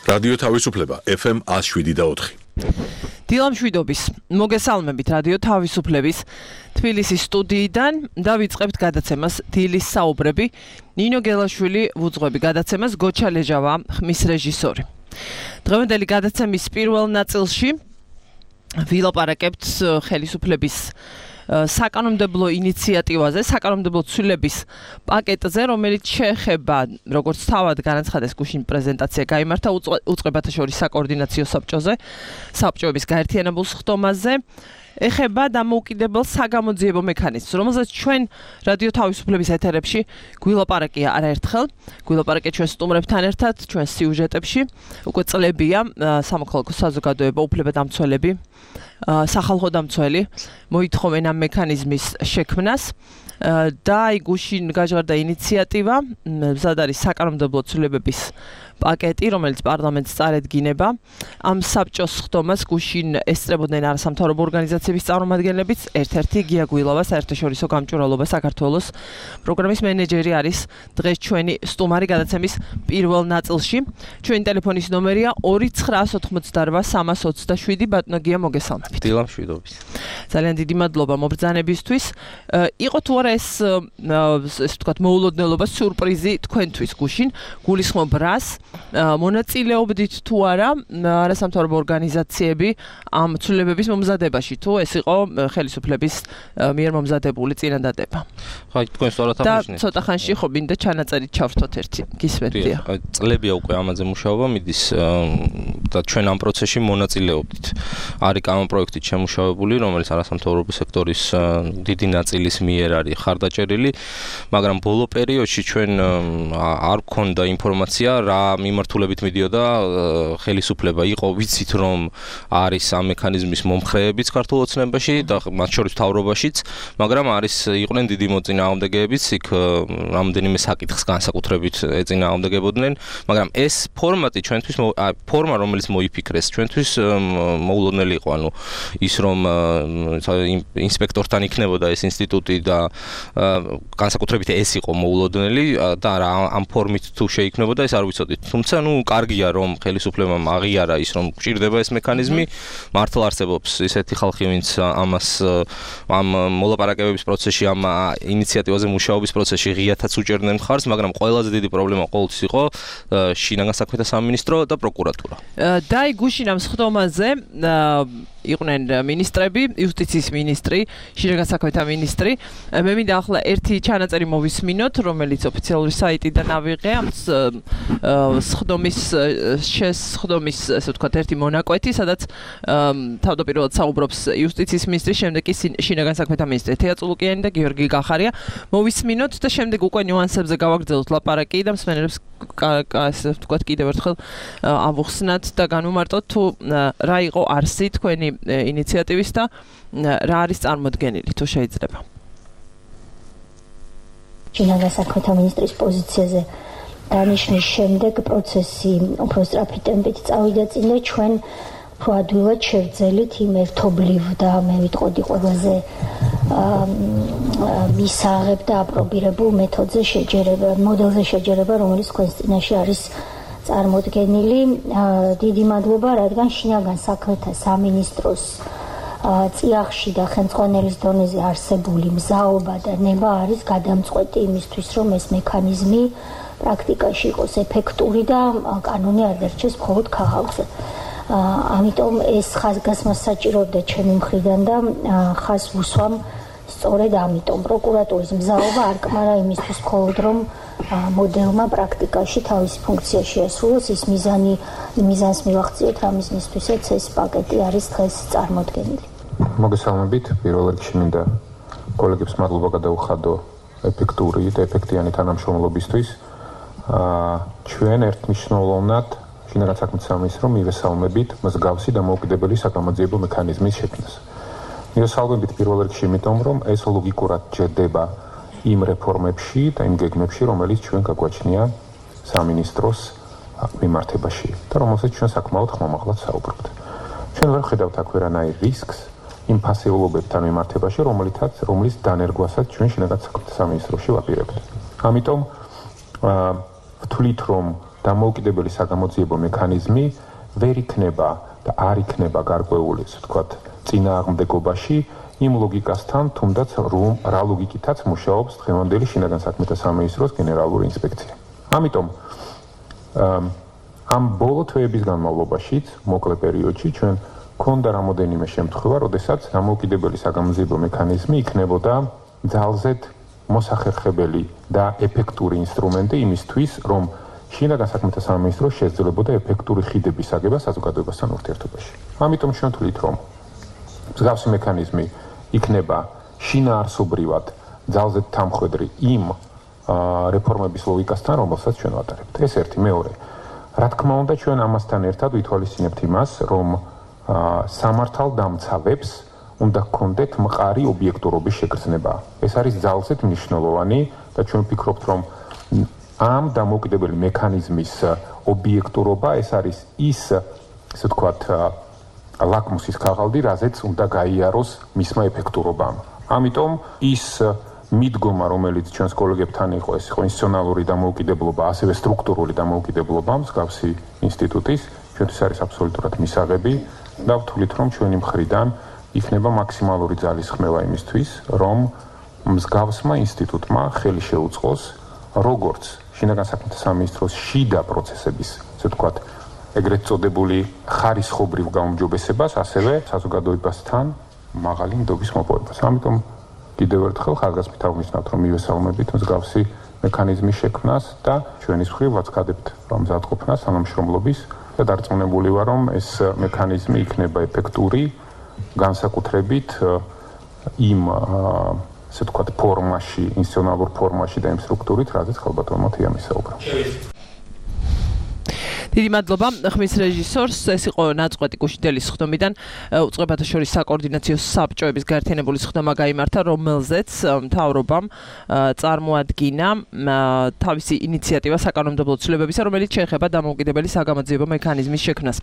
რადიო თავისუფლება FM 107.4. დილამშვიდობის მოგესალმებით რადიო თავისუფლების თბილისის სტუდიიდან და ვიწყებთ გადაცემას დილის საუბრები. ნინო გელაშვილი ვუძღვები გადაცემას, გოჩა ლეჟავა ხმის რეჟისორი. დღევანდელი გადაცემის პირველ ნაწილში ვილაპარაკებთ ხელისუფლების საკანონმდებლო ინიციატივაზე, საკანონმდებლო ცვლილების პაკეტზე, რომელიც შეეხება, როგორც თავად განაცხადეს გუშინ პრეზენტაცია გაიმართა უწყებათა შორის საკოორდინაციო საბჭოზე, საბჭოების გაერთიანებულ სხდომაზე, ეხება დამოუკიდებელ საგამოძიებო მექანიზმს, რომელზეც ჩვენ რადიო თავისუფლების ეთერებში გვილაპარაკია არაერთხელ, გვილაპარაკია ჩვენ სტუმრებთან ერთად, ჩვენ სიუჟეტებში, უკვე წლებია სამოქალაქო საზოგადოება, უფლებადამცველები, სახალხო დამცველი მოითხოვენ ამ მექანიზმის შექმნას და გუშინ გაჟღერდა ინიციატივა, მზად არის საკანონმდებლო ცვლილებების პაკეტი, რომელიც პარლამენტს წარედგინება. ამ საბჭოს სხდომას გუშინ ესწრებოდნენ არასამთავრობო ორგანიზაციების წარმომადგენლებიც, ერთ-ერთი გია გვილავა, საერთაშორისო გამჭვირვალობა საქართველოს პროგრამის მენეჯერი არის დღეს ჩვენი სტუმარი გადაცემის პირველ ნაწილში. ჩვენი ტელეფონის ნომერია 2988327. ბატონო გია, მოგესალმებით. დილამშვიდობის. ძალიან დიდი მადლობა მობრძანებისთვის. იყო თუ არა ეს ვთქვათ მოულოდნელობა, სიურპრიზი თქვენთვის გუშინ, გულისხმობ რას მონაწილეობდით თუ არა არასამთავრობო ორგანიზაციები ამ ცვლილებების momზადებაში, თუ ეს იყო ხელისუფლების მიერ მომზადებული წინადადება. ხო, თქვენ სწორად აღნიშნეთ. და ცოტა ხანში ხო მინდა ჩანაწერით ჩავრთოთ ერთი. გისმენდია. წლებია უკვე ამაზე მუშაობა მიდის და ჩვენ ამ პროცესში მონაწილეობდით. არის კანონპროექტი შემუშავებული, რომელიც არასამთავრობო სექტორის დიდი ნაწილის მიერ არის ხარდაჭერილი, მაგრამ ბოლო პერიოდში ჩვენ არ გქონდა ინფორმაცია რა მიმართულებით მიდიოდა ხელისუფლება. იყო ვიცით რომ არის ამ მექანიზმის მომხრეებიც ქართულ ოცნებაში და მათ შორის მთავრობაშიც, მაგრამ იყვნენ დიდი მოწინააღმდეგეებიც, იქ რამდენიმე საკითხს განსაკუთრებით ეწინააღმდეგებოდნენ, მაგრამ ეს ფორმატი ჩვენთვის ფორმა რომელიც მოიფიქრეს ჩვენთვის მოულოდნელი იყო, ანუ ის რომ ინსპექტორთან იქნებოდა ეს ინსტიტუტი და განსაკუთრებით ეს იყო მოულოდნელი და ამ ფორმით თუ შეიქმნებოდა ეს არ ვიცოდით. თუმცა კარგია რომ ხელისუფლებამ აღიარა ის რომ გვჭირდება ეს მექანიზმი, მართლა არსებობს ისეთი ხალხი, ვინც ამ მოლაპარაკებების პროცესში, ამ ინიციატივაზე მუშაობის პროცესში ღიათაც უჭერდნენ მხარს, მაგრამ ყველაზე დიდი პრობლემა ყოველთვის იყო შინაგან საქმეთა სამინისტრო და პროკურატურა. და გუშინ ამ სხდომაზე იყვნენ მინისტრები, იუსტიციის მინისტრი, შინაგან საქმეთა მინისტრი. მე მინდა ახლა ერთი ჩანაწერი მოვისმინოთ, რომელიც ოფიციალური საიტიდან ავიღე ამ სხდომის ესე ვთქვათ ერთი მონაკვეთი, სადაც თავდაპირველად საუბრობს იუსტიციის მინისტრი, შემდეგ კი შინაგან საქმეთა მინისტრი თეა წულუკიანი და გიორგი გახარია. მოვისმინოთ და შემდეგ უკვე ნიუანსებზე გავაგრძელოთ ლაპარაკი და მსმენელებს ესე ვთქვათ კიდევ ერთხელ ავუხსნათ და განვმარტოთ თუ რა იყო არსი თქვენი ინიციატივის და რა არის წარმოდგენილი, თუ შეიძლება. შინაგან საქმეთა მინისტრის პოზიციაზე დანიშნვის შემდეგ პროცესი უფრო სწრაფი ტემპით წავიდა წინ და ჩვენ უფრო ადვილად შევძელით იმ ერთობლივ და მე ვიტყოდი ყველაზე მისაღებ და აპრობირებულ მეთოდზე შეჯერება, მოდელზე შეჯერება, რომელიც თქვენს წინაშე არის წარმოდგენილი. დიდი მადლობა, რადგან შინაგან საქმეთა სამინისტროს წიაღში და ხელმძღვანელის დონეზე არსებული მზაობა და ნება არის გადამწყვეტი იმისთვის, რომ ეს მექანიზმი პრაქტიკაში იყოს ეფექტური და კანონი არ დარჩეს მხოლოდ ქაღალდზე. ამიტომ ეს ხაზგასმას საჭიროებდა ჩემი მხრიდან და ხაზს ვუსვამ სწორედ ამიტომ პროკურატურის მზაობა არ კმარა იმისთვის მხოლოდ რომ მოდელმა პრაქტიკაში თავისი ფუნქცია შეასრულოს, ის მიზანს მივახციოთ, რამის მისთვისაც ეს პაკეტი არის დღეს წარმოდგენილი. მოგესალმებით, პირველ რიგში მინდა კოლეგებს მადლობა გადაუხადო ეფექტური და ეფექტიანი თანამშრომლობისთვის. ჩვენ ერთმნიშვნელოვნად შინაგან საქმეთა სამინისტრომ მივესალმებით მსგავსი დამოუკიდებელი საკამოძიებო მექანიზმის შექმნას. მივესალმებით პირველ რიგში იმიტომ, რომ ეს ლოგიკურად ჯერდება იმ რეფორმებში და იმ გეგმებში, რომელიც ჩვენ გაგვაჩნია სამინისტროს მიმართებაში და რომელსაც ჩვენ საკმაოდ ხმამაღლად საუბრობთ. ჩვენ ვერ ხედავთ აქ ვერანაირ რისკს იმ ფასეულობებთან მიმართებაში, რომლის დანერგვასაც ჩვენ შინაგან საქმეთა სამინისტროში ვაპირებთ. ამიტომ ვთვლით, რომ დამოუკიდებელი საგამოძიებო მექანიზმი ვერ იქნება და არ იქნება გარკვეული, ასე ვთქვათ, წინააღმდეგობაში იმ ლოგიკასთან, თუნდაც რა ლოგიკითაც მუშაობს დღევანდელი შინაგან საქმეთა სამინისტროს გენერალური ინსპექცია. ამიტომ ამ ბოლო თვეების განმავლობაშიც, მოკლე პერიოდში ჩვენ ქონდა რამოდენიმე შემთხვევა, როდესაც დამოუკიდებელი საგამოძიებო მექანიზმი იქნებოდა ძალზედ მოსახერხებელი და ეფექტური ინსტრუმენტი იმისთვის, რომ შინაგან საქმეთა სამინისტრო შეძლებოდა ეფექტური ხიდების აგება საზოგადოებასთან ურთიერთობაში. ამიტომ ჩვენ ვთვლით, რომ მსგავსი მექანიზმი იქნება შინაარსობრივად ძალზედ თამხვედრი იმ რეფორმების ლოგიკასთან, რომელსაც ჩვენ ვატარებთ. ეს ერთი, მეორე. რა თქმა უნდა, ჩვენ ამასთან ერთად ვითვალისწინებთ იმას, რომ სამართალდამცავებს უნდა გქონდეთ მყარი ობიექტურობის შეგრძნება. ეს არის ძალზედ მნიშვნელოვანი და ჩვენ ვფიქრობთ, რომ ამ დამოუკიდებელი მექანიზმის ობიექტურობა ეს არის ის, ასე ვთქვათ, ლაკმუსის ქაღალდი, რაზეც უნდა გაიაროს მისმა ეფექტურობამ. ამიტომ ის მიდგომა, რომელიც ჩვენს კოლეგებთან იყო, ეს იყო ინსტიტუციონალური დამოუკიდებლობა, ასევე სტრუქტურული დამოუკიდებლობა მსგავსი ინსტიტუტის, ჩვენთვის არის აბსოლუტურად მისაღები და ვთვლით, რომ ჩვენი მხრიდან იქნება მაქსიმალური ძალისხმევა იმისთვის, რომ მსგავსმა ინსტიტუტმა ხელი შეუწყოს როგორც შინაგან საქმეთა სამინისტროს შიდა პროცესების, ასე ვთქვათ, ეგრეთ წოდებული ხარისხობრივ გაუმჯობესებას, ასევე საზოგადოებასთან მაღალი ნდობის მოპოვებას. ამიტომ კიდევ ერთხელ ხაზგასმით აღვნიშნავთ, რომ მივესალმებით მსგავსი მექანიზმის შექმნას და ჩვენის მხრივ ვაცხადებთ მზადყოფნას თანამშრომლობის და დარწმუნებული ვარ, რომ ეს მექანიზმი იქნება ეფექტური, განსაკუთრებით იმ ასე ვთქვათ ფორმაში, ინსტიტუციონალურ ფორმაში და იმ სტრუქტურით, რაზეც ხალბატონმა თეამი საუბრა. დიდი მადლობა ხმის რეჟისორს. ეს იყო ნაწყვეტი გუშინდელის ხდომიდან უწყებათა შორის საკოორდინაციო საბჭოების გაერთიანებული ხდომა გაიმართა, რომელზეც მთავრობამ წარმოადგინა თავისი ინიციატივა საკანონმდებლო ცვლილებებისა, რომელიც შეეხება დამოუკიდებელი საგამოძიებო მექანიზმის შექმნას.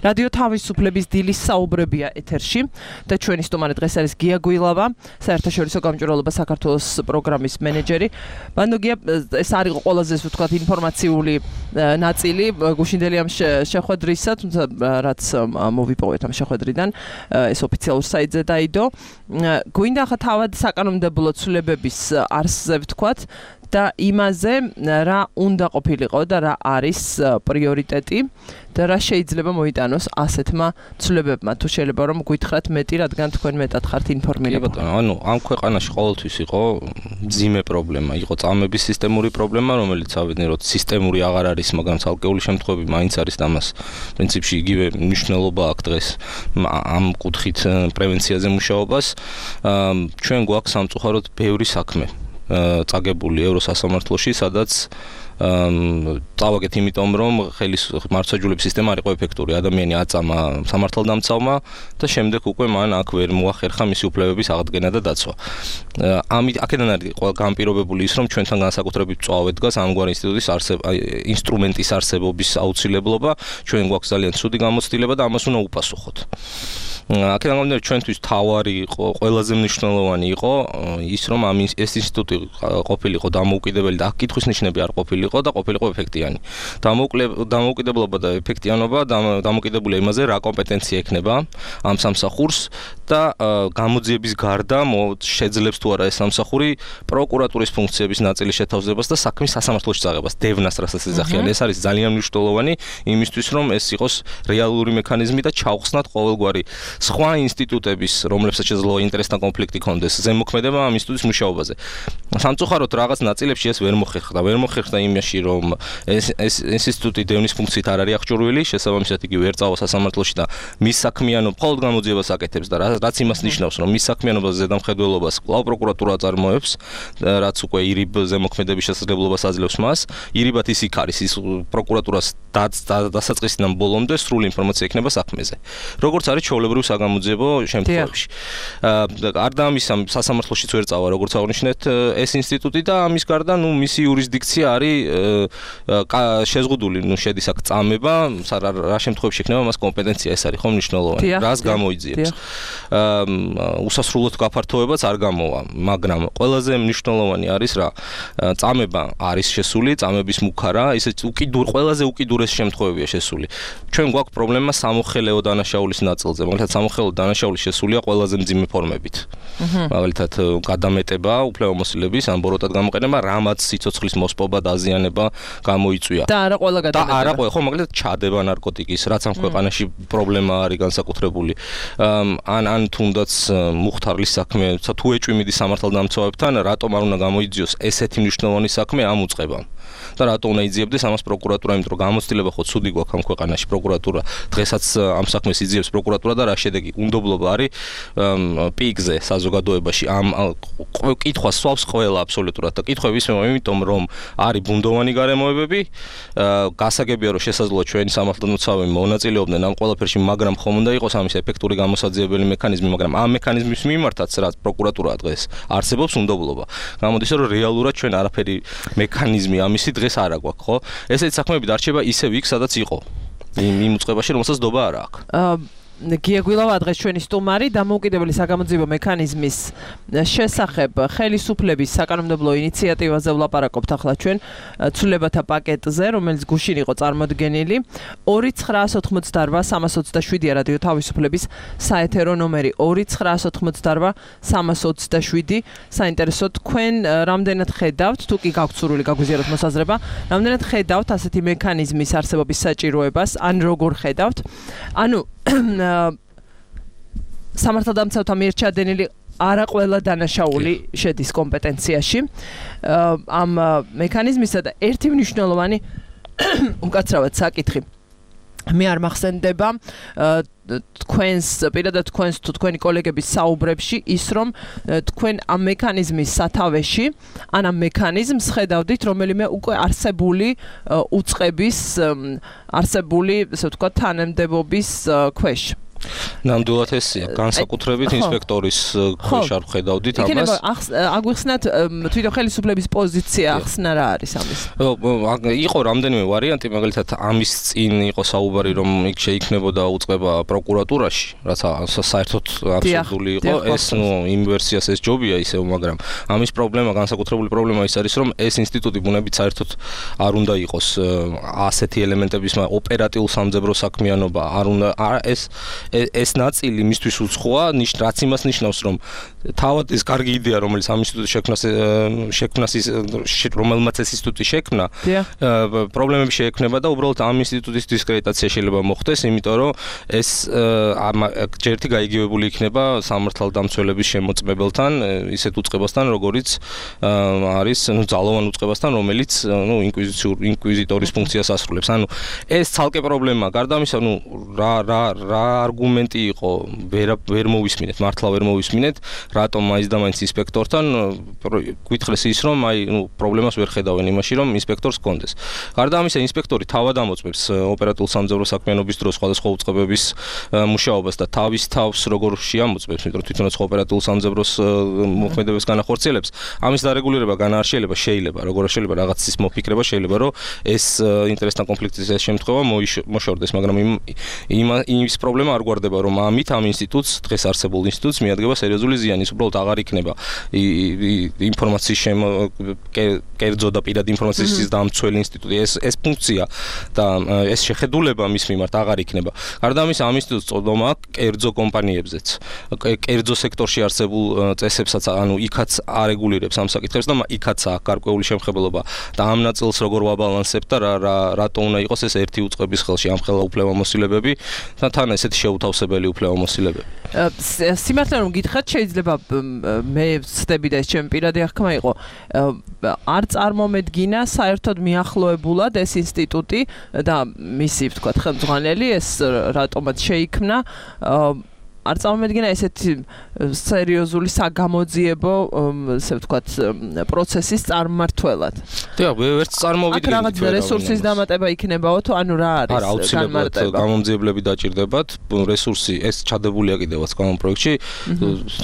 რადიო თავისუფლების დილის საუბრებია ეთერში და ჩვენი სტუმარი დღეს არის გია გვილავა, საერთაშორისო გამჭვირვალობა საქართველოს პროგრამის მენეჯერი. ბანდო გია, ეს არის ყველაზე ვთქვათ ინფორმაციული ნაწილი გუშინდელი ამ შეხვედრისა, თუმცა რაც მოვიპოვეთ ამ შეხვედრიდან, ეს ოფიციალურ საიტზე დაიდო. გვინდა ახლა თავად საკანონმდებლო ცვლილებების არსზე ვთქვათ და იმაზე რა უნდა ყოფილიყო და რა არის პრიორიტეტი და რა შეიძლება მოიტანოს ასეთმა ცვლილებებმა. თუ შეიძლება რომ გითხრათ მეტი, რადგან თქვენ მეტად ხართ ინფორმირებული. ანუ ამ ქვეყანაში ყოველთვის იყო მძიმე პრობლემა, იყო წამების სისტემური პრობლემა, რომელიც ავედნეროთ სისტემური აღარ არის, მაგრამ ცალკეული შემთხვევები მაინც არის და ამას პრინციპში იგივე მნიშვნელობა აქვს დღეს ამ კუთხით პრევენციაზე მუშაობას. ჩვენ გვაქვს სამწუხაროდ ბევრი საქმე წაგებული ევროსასამართლოში, სადაც წავაგეთ იმიტომ, რომ მართლმსაჯულების სისტემა არ იყო ეფექტური. ადამიანი აწამა სამართალდამცავმა და შემდეგ უკვე მან აქ ვერ მოახერხა მისი უფლებების აღდგენა და დაცვა. ამით აქედან არის gan პირობებული ის, რომ ჩვენთან განსაკუთრებით წვავე დგას ამგვარი ინსტრუმენტის არსებობის აუცილებლობა. ჩვენ გვაქვს ძალიან ცუდი გამოცდილება და ამას უნდა უპასუხოთ. აქედან გამომდინარე, ჩვენთვის თავარი იყო, ყველაზე მნიშვნელოვანი იყო ის, რომ ეს ინსტიტუტი ყოფილიყო დამოუკიდებელი და აქ კითხვის ნიშნები არ ყოფილიყო და ყოფილიყო ეფექტიანი. დამოუკიდებლობა და ეფექტიანობა დამოკიდებულია იმაზე, რა კომპეტენცია ექნება ამ სამსახურს და გამოძიების გარდა შეძლებს თუ არა ეს სამსახური პროკურატურის ფუნქციების ნაწილის შეთავაზებას და საქმის სასამართლოში წაღებას, დევნას რასაც ეძახიან. ეს არის ძალიან მნიშვნელოვანი იმისთვის, რომ ეს იყოს რეალური მექანიზმი და ჩავხსნათ ყოველგვარი სხვა ინსტიტუტების, რომლებსაც შეიძლება ინტერესთან კონფლიქტი ჰქონდეს, ზემოქმედება ამ ინსტიტუტის მუშაობაზე. სამწუხაროდ რაღაც ნაწილებში ეს ვერ მოხერხდა. ვერ მოხერხდა იმაში, რომ ეს ინსტიტუტი დევნის ფუნქციით არ არის აღჭურვილი, შესაბამისად იგი ვერ წავა სასამართლოში და მის საქმიანობ მხოლოდ გამოძიებას აკეთებს და რაც იმას ნიშნავს, რომ მის საქმიანობაზე ზედამხედველობას კვლავ პროკურატურა წარმოებს, რაც უკვე ირიბ ზემოქმედების შესაძლებლობას აძლევს მას. ირიბად ის იქ არის, ის პროკურატურას დასაწყისიდან ბოლომდე სრული ინფორმაცია ექნება საქმეზე. როგორც არის ჩვეულებრივ საგამოძიებო შემთხვევებში. არ დამის ამ სასამართლოშიც ვერ წავა, როგორც აღნიშნეთ, ეს ინსტიტუტი და ამის გარდა, მისი იურისდიქცია არის შეზღუდული, შედის აქ წამება, რა შემთხვევაში იქნება მას კომპეტენცია, ეს არის ხომ მნიშვნელოვანი. რას გამოიძიებს? უსასრულოდ გაფართოებაც არ გამოვა, მაგრამ ყველაზე მნიშვნელოვანი არის რა, წამება არის შესული, წამების მუქარა, ისეთ ყველაზე უკიდურეს შემთხვევებია შესული. ჩვენ გვაქვს პრობლემა სამოხელეო დანაშაულის ნაწილზე, მაგალითად სამოხელეო დანაშაული შესულია ყველაზე მძიმე ფორმებით. მაგალითად გადამეტება, უფლებამოსილების ან ბოროტად გამოყენება, რამაც სიცოცხლის მოსპობა, დაზიანება გამოიწვია. და არა ყველა გადამეტება. არა ყველა, ხო, მაგალითად ჩადება ნარკოტიკის, რაც ამ ქვეყანაში პრობლემა არის განსაკუთრებული. ან თუნდაც მუხთარლის საქმე, თუ ეჭვი მიდის სამართალდამცავებთან, რატომ არ უნდა გამოიძიოს ესეთი მნიშვნელოვანი საქმე ამ უწყებამ? და რატო უნდა იძიებდეს ამას პროკურატურა, იმიტომ რომ გამოცდილება ხო ცუდი გვაქვს ამ ქვეყანაში, პროკურატურა დღესაც ამ საქმეს იძიებს პროკურატურა და რა შედეგი? უნდობლობა არის პიკზე საზოგადოებაში. ამ კითხვას სვავს ყველა აბსოლუტურად და კითხვები ისმევა, იმიტომ რომ არის ბუნდოვანი გარემოებები, გასაგებია რომ შესაძლოა ჩვენი სამართალდამცავები მონაწილეობდნენ ამ ყველაფერში, მაგრამ ხომ უნდა იყოს ამის ეფექტური გამოსაძიებელი მექანიზმი, მაგრამ ამ მექანიზმის მიმართაც რაც პროკურატურა დღეს არსებობს უნდობლობა. გამოდის რომ რეალურად ჩვენ არაფერი მექანიზმი ამისი დღეს არ აგვაქვს, ხო? ესეთი საქმეები დარჩება ისევ იქ, სადაც იყო. იმ უწყებაში, რომელსაც დობა არ აქვს. გია გვილავა დღეს ჩვენი სტუმარი დამოუკიდებელი საგამოძიებო მექანიზმის შესახებ ხელისუფლების საკანონმდებლო ინიციატივაზე ვლაპარაკობთ ახლა ჩვენ ცვლილებათა პაკეტზე, რომელიც გუშინ იყო წარმოდგენილი. 2988327 რადიო თავისუფლების საეთერო ნომერი 2988327. საინტერესო თქვენ რამდენად ხედავთ, თუ კი გაქვთ სურვილი გაგვიზიაროთ მოსაზრება, რამდენად ხედავთ ასეთი მექანიზმის არსებობის საჭიროებას, ან როგორ ხედავთ? ანუ სამართალდამცავთა მიერ ჩადენილი არა ყველა დანაშაული შედის კომპეტენციაში ამ მექანიზმისა და ერთი მნიშვნელოვანი უკაცრავად საკითხი მე არ მახსენდება თქვენს პირადად თქვენს თუ თქვენი კოლეგების საუბრებში ის რომ თქვენ ამ მექანიზმის სათავეში ან ამ მექანიზმს ხედავდით რომელიმე უკვე არსებული უწყების არსებული ესე ვთქვათ თანამდებობის ქვეშ ნამდვილად ესია განსაკუთრებით ინსპექტორის ქვეშ არ ხედავდით ამას. იქნება აგვიხსნათ თვითონ ხელისუფლების პოზიცია ახსნა რა არის ამის. იყო რამდენიმე ვარიანტი, მაგალითად ამის წინ იყო საუბარი რომ იქ შეიქმნებოდა უწყება პროკურატურაში, რაც საერთოდ აბსურდული იყო. ეს იმ ვერსიას ეს ჯობია ისევ, მაგრამ ამის პრობლემა, განსაკუთრებული პრობლემა ის არის რომ ეს ინსტიტუტი ბუნებით საერთოდ არ უნდა იყოს ასეთი ელემენტების ოპერატიულ სამძებრო საქმიანობა, არ უნდა ეს ნაწილი მისთვის უცხოა, რაც იმას ნიშნავს, რომ თავად ეს კარგი იდეა, რომელიც ამ ინსტიტუტის შექმნას რომელმაც ეს ინსტიტუტი შექმნა, პრობლემები შეექმნება და უბრალოდ ამ ინსტიტუტის დისკრედიტაცია შეიძლება მოხდეს, იმიტომ რომ ეს ჯერთი გაიგივებული იქნება სამართალდამცველების შემოწმებელთან, ისეთ უწყებასთან, როგორიც არის, ძალოვან უწყებასთან, რომელიც, ინკვიზიტორის ფუნქციას ასრულებს. ანუ ეს ცალკე პრობლემაა. გარდა ამისა, რა არგუმენტი იყო, ვერ მოვისმინეთ, მართლა ვერ მოვისმინეთ, რატომ მაინც და მაინც ინსპექტორთან გვითხრეს ის, რომ პრობლემას ვერ ხედავენ იმაში, რომ ინსპექტორს ჰქონდეს. გარდა ამისა, ინსპექტორი თავად ამოწმებს ოპერატიულ სამძებრო საქმიანობის დროს სხვადასხვა უწყებების მუშაობას და თავის თავს როგორ შეამოწმებს, იმიტომ რომ თვითონაც ოპერატიულ სამძებროს მოქმედებას განახორციელებს. ამის დარეგულირება შეიძლება, როგორ შეიძლება რაღაცის მოფიქრება შეიძლება, რომ ეს ინტერესთან კონფლიქტის შემთხვევა მოშორდეს, მაგრამ ის პრობლემა არ გვარდება, რომ ამით ამ ინსტიტუტს, დღეს არსებულ ინსტიტუტს მიადგება სერიოზული ზიანი, ის უბრალოდ აღარ იქნება ინფორმაციის კერძო და პირადი ინფორმაციის დამცველი ინსტიტუტი. ეს ფუნქცია და ეს შეხედულება მის მიმართ აღარ იქნება. გარდა ამისა, ამ ინსტიტუტს წოდომა აქვს კერძო კომპანიებზეც, კერძო სექტორში არსებულ წესებსაც, იქაც არეგულირებს ამ საკითხებს და იქაც აქვს გარკვეული შემხებელობა და ამ ნაწილს როგორ ვაბალანსებთ და რატო უნდა იყოს ეს ერთი უწყების ხელში ამ ხელა უფლებამოსილებები და თან ესეთი შეუთავსებელი უფლებამოსილებები. სიმართლე რომ გითხრათ, შეიძლება მე ვცდები და ეს ჩემი პირადი აღქმა იყო, არ წარმომედგინა საერთოდ მიახლოებულად ეს ინსტიტუტი და მისი, ვთქვათ, ხელმძღვანელი ეს რატომაც შეიქმნა არ წამომედგინა ესეთი სერიოზული საგამოძიებო, ესე ვთქვათ, პროცესის წარმმართველად. დიახ, ვერც წარმოვიდგენთ. აქ რაღაც რესურსის დამატება იქნებაო თუ ანუ რა არის? არა, აუცილებლად გამომძიებლები დაჭირდებათ, რესურსი ეს ჩადებულია კიდევაც გამონ პროექტში.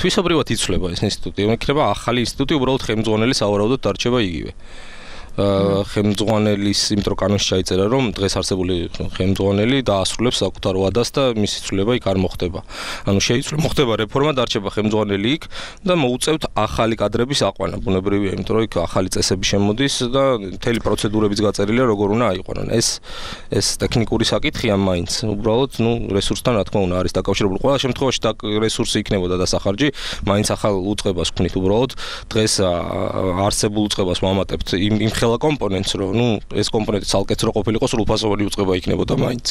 თვისობრივად იცვლება ეს ინსტიტუტი. იქნება ახალი ინსტიტუტი, უბრალოდ ხელმძღვანელი სავარაუდოდ დარჩება იგივე. ხელმძღვანელის იმიტომ კანონში ჩაიწერა რომ დღეს არსებული ხელმძღვანელი დაასრულებს საკუთარ ვადას და მისი ცვლილება იქ არ მოხდება. ანუ შეიცვლება მოხდება რეფორმა, დარჩება ხელმძღვანელი იქ და მოუწევთ ახალი კადრების აყვანა. ბუნებრივია, იმიტომ რომ იქ ახალი წესები შემოდის და მთელი პროცედურებიც გაწერილია როგორ უნდა აიყვანონ. ეს ტექნიკური საკითხია მაინც. უბრალოდ, რესურსთან რა თქმა უნდა არის დაკავშირებული. ყველა შემთხვევაში რესურსი იქნებოდა დასახარჯი, მაინც ახალ უწყებას ვქნით უბრალოდ. დღეს არსებულ უწყებას ვამატებთ იმ ხელა კომპონენტს, რომ ეს კომპონენტი ცალკეც რო ყოფილიყო, სრულფასოვანი უწყება იქნებოდა მაინც.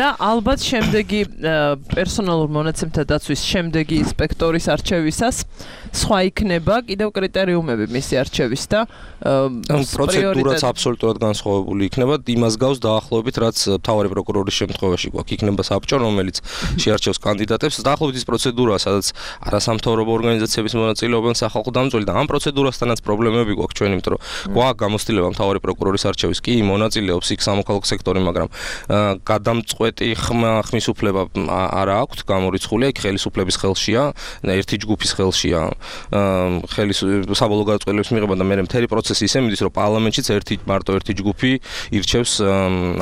და ალბათ შემდეგი პერსონალურ მონაცემთა დაცვის შემდეგი ინსპექტორის არჩევისას სხვა იქნება კიდევ კრიტერიუმები მისი არჩევის და პროცედურაც აბსოლუტურად განსხვავებული იქნება. იმას გავს დაახლოებით, რაც მთავარი პროკურორის შემთხვევაში გვაქვს. იქნება საბჭო, რომელიც შეარჩევს კანდიდატებს. დაახლოებით ის პროცედურაა, სადაც არასამთავრობო ორგანიზაციების მონაწილეობენ სახალხო დამცველი და ამ პროცედურასთანაც პრობლემები გვაქვს ჩვენ, იმიტომ რომ გვაქვს გამოცდილება მთავარი პროკურორის არჩევის. კი, მონაწილეობს იქ სამოქალაქო სექტორი, მაგრამ გადამწყვეტი ხმის უფლება არ აქვს გამორიცხული. იქ ხელისუფლების ხელშია, ერთი ჯგუფის ხელშია საბოლოო გადაწყვეტილების მიღება და მე მთელი პროცესი ისე მიდის, რომ პარლამენტშიც მარტო ერთი ჯგუფი ირჩევს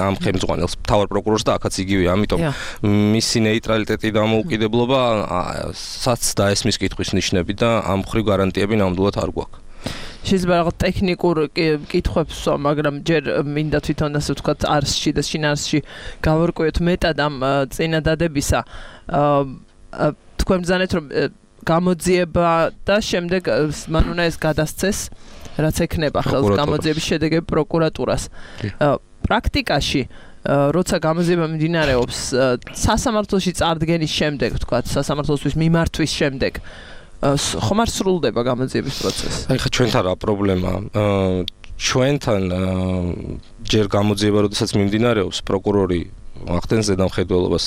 ამ ხელმძღვანელს, მთავარ პროკურორს და აქაც იგივეა. ამიტომ მისი ნეიტრალიტეტი და მოუკიდებლობასაც დაესმის კითხვის ნიშნები და ამ მხრივ გარანტიები ნამდვილად არ გვაქვს. შეიძლება რაღაც ტექნიკურ კითხვებს ვსვა, მაგრამ ჯერ მინდა თვითონ ასე ვთქვათ არსში და შინაარსში გავარკვიოთ მეტად ამ წინადადებისა. თქვენ ბრძანეთ რომ გამოძიება და შემდეგ მან უნდა ეს გადასცეს, რაც ექნება ხელს გამოძიების შედეგები პროკურატურას. პრაქტიკაში როცა გამოძიება მიმდინარეობს სასამართლოში წარდგენის შემდეგ, ვთქვათ, სასამართლოსთვის მიმართვის შემდეგ ხომ არ სრულდება გამოძიების პროცესი? ხა ჩვენთან რა პრობლემაა? ჩვენთან ჯერ გამოძიება როდესაც მიმდინარეობს, პროკურორი ახდენს ზედამხედველობას,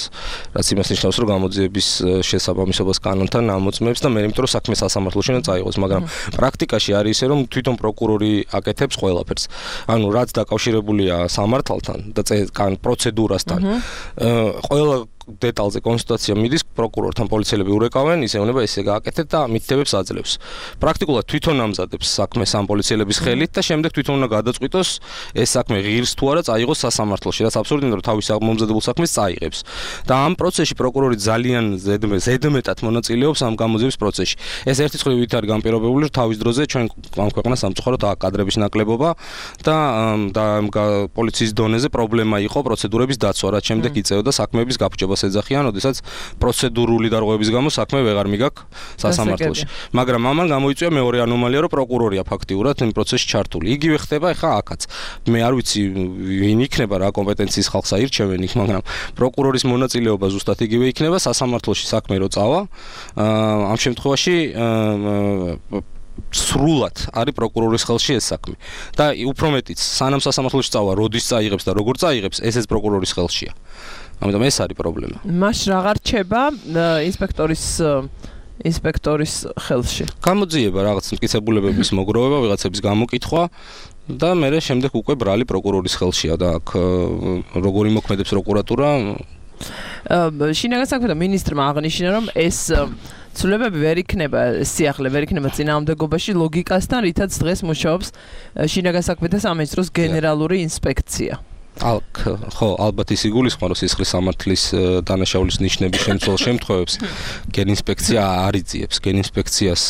რაც იმას ნიშნავს, რომ გამოძიების შესაბამისობას კანონთან ამოწმებს და მე იმიტომ რომ საქმე სასამართლოში უნდა წაიღოს, მაგრამ პრაქტიკაში არის ისე, რომ თვითონ პროკურორი აკეთებს ყველაფერს. ანუ რაც დაკავშირებულია სამართალთან და პროცედურასთან, ყველა დეტალზე კონსულტაცია მიდის პროკურორთან, პოლიციელები ურეკავენ, ისე უნდა ესე გააკეთეთ და მითითებებს აძლევს. პრაქტიკულად თვითონ ამზადებს საქმეს ამ პოლიციელების ხელით და შემდეგ თვითონ უნდა გადაწყვიტოს ეს საქმე ღირს თუ არა წაიღოს სასამართლოში, რაც აბსურდია, რომ თავის მომზადებულ საქმეს წაიღებს. და ამ პროცესში პროკურორი ძალიან ზედმეტად მონაწილეობს ამ გამოძიების პროცესში. ეს ერთი მხრივ არის განპირობებული, რომ თავის დროზე ჩვენ ამ ქვეყანას სამწუხაროდ კადრების ნაკლებობა და პოლიციის დონეზე პრობლემა იყო პროცედურების დაცვა, რაც შემდეგ იწევდა საქმეების გაფუჭებას ეძახიან, ოდესაც პროცედურული დარღვევების გამო საქმე ვეღარ მიგაქვს სასამართლოში. მაგრამ ამან გამოიწვია მეორე ანომალია, რომ პროკურორია ფაქტიურად იმ პროცესში ჩართული. იგივე ხდება ახლა აქაც. მე არ ვიცი ვინ იქნება, რა კომპეტენციის ხალხს აირჩევენ იქ, მაგრამ პროკურორის მონაწილეობა ზუსტად იგივე იქნება სასამართლოში საქმე რო წავა. ამ შემთხვევაში სრულად არის პროკურორის ხელში ეს საქმე. და უფრო მეტიც, სანამ სასამართლოში წავა, როდის წაიღებს და როგორ წაიღებს, ესეც პროკურორის ხელშია. ამიტომ ეს არის პრობლემა. მას რა რჩება ინსპექტორის ხელში? გამოძიება, რაღაც მტკიცებულებების მოგროვება, ვიღაცების გამოკითხვა და მე შემდეგ უკვე ბრალი პროკურორის ხელშია და აქ როგორი მოქმედებს პროკურატურა. შინაგან საქმეთა მინისტრმა აღნიშნა, რომ ეს ცვლილებები ვერ იქნება, სიახლე ვერ იქნება წინააღმდეგობაში ლოგიკასთან, რითაც დღეს მუშაობს შინაგან საქმეთა სამინისტროს გენერალური ინსპექცია. ხო, ალბათ ის იგულისხმება, რომ სისხლის სამართლის დანაშაულის ნიშნების შემცველ შემთხვევებს გენინსპექცია არ იწიებს. გენინსპექციას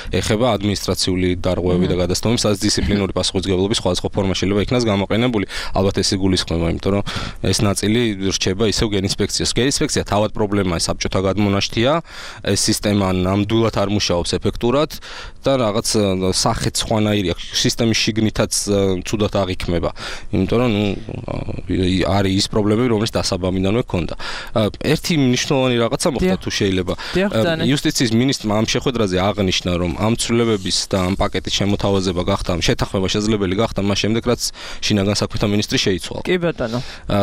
ეხება ადმინისტრაციული დარღვევები და გადასტომები, სადაც დისციპლინური პასუხისმგებლობის სხვადასხვა ფორმა შეიძლება იქნას გამოყენებული. ალბათ ეს იგულისხმება, იმიტომ რომ ეს ნაწილი რჩება ისევ გენინსპექციას. გენინსპექცია თავად პრობლემაა, საბჭოთა გადმონაშთია, ეს სისტემა ნამდვილად არ მუშაობს ეფექტურად და რაღაც სახეც სხვანაირი აქვს. სისტემის შიგნითაც ცუდად აღიქმება. იმიტომ რომ არის ის პრობლემები, რომელიც დასაბამიდანვე ქონდა. ერთი მნიშვნელოვანი რაღაცა მოხდა თუ შეიძლება. იუსტიციის მინისტრმა ამ შეხვედრაზე აღნიშნა, რომ ამ ცვლილებების და ამ პაკეტის შემოთავაზება გახდა, შეთანხმება შესაძლებელი გახდა მას შემდეგ, რაც შინაგან საქმეთა მინისტრი შეიცვალა. კი ბატონო.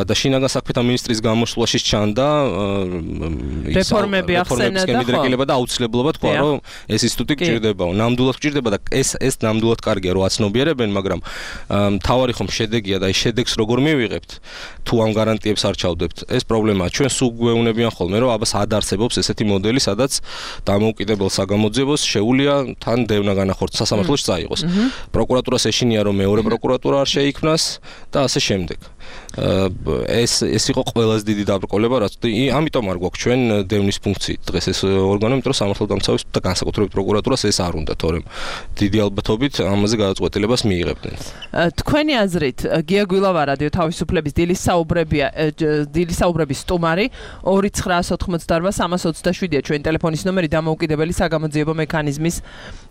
და შინაგან საქმეთა მინისტრის გამოსვლაში ჩანდა რეფორმები ახსენა და აუცილებლობა თქვა, რომ ეს ინსტიტუტი გჭირდებაო, ნამდვილად გჭირდება და ეს ნამდვილად კარგია, რომ აცნობიერებენ, მაგრამ მთავარი ხომ შედეგია და ეს შედეგს როგორ მივიღებთ, თუ ამ გარანტიებს არ ჩავდებთ. ეს პრობლემაა. ჩვენ სულ გვეუბნებიან ხოლმე, რომ აბა სად არსებობს ესეთი მოდელი, სადაც დამოუკიდებელ საგამოძიებოს შეუძლია თან დევნა განახორციელოს, სასამართლოში წაიღოს. პროკურატურას ეშინია, რომ მეორე პროკურატურა არ შეიქმნას და ასე შემდეგ. ეს იყო ყველაზე დიდი დაბრკოლება, რაც ამიტომ არ გვაქვს ჩვენ დევნის ფუნქციით დღეს ეს ორგანო, იმიტომ რომ სამართალდამცავების და განსაკუთრებით პროკურატურას ეს არ უნდა, თორემ დიდი ალბათობით ამაზე გადაწყვეტილებას მიიღებდნენ. თქვენი აზრით, გია გვილავა რადიო თავისუფლების დილის საუბრების სტუმარი 2988-327-ია ჩვენი ტელეფონის ნომერი დამოუკიდებელი საგამოძიებო მექანიზმის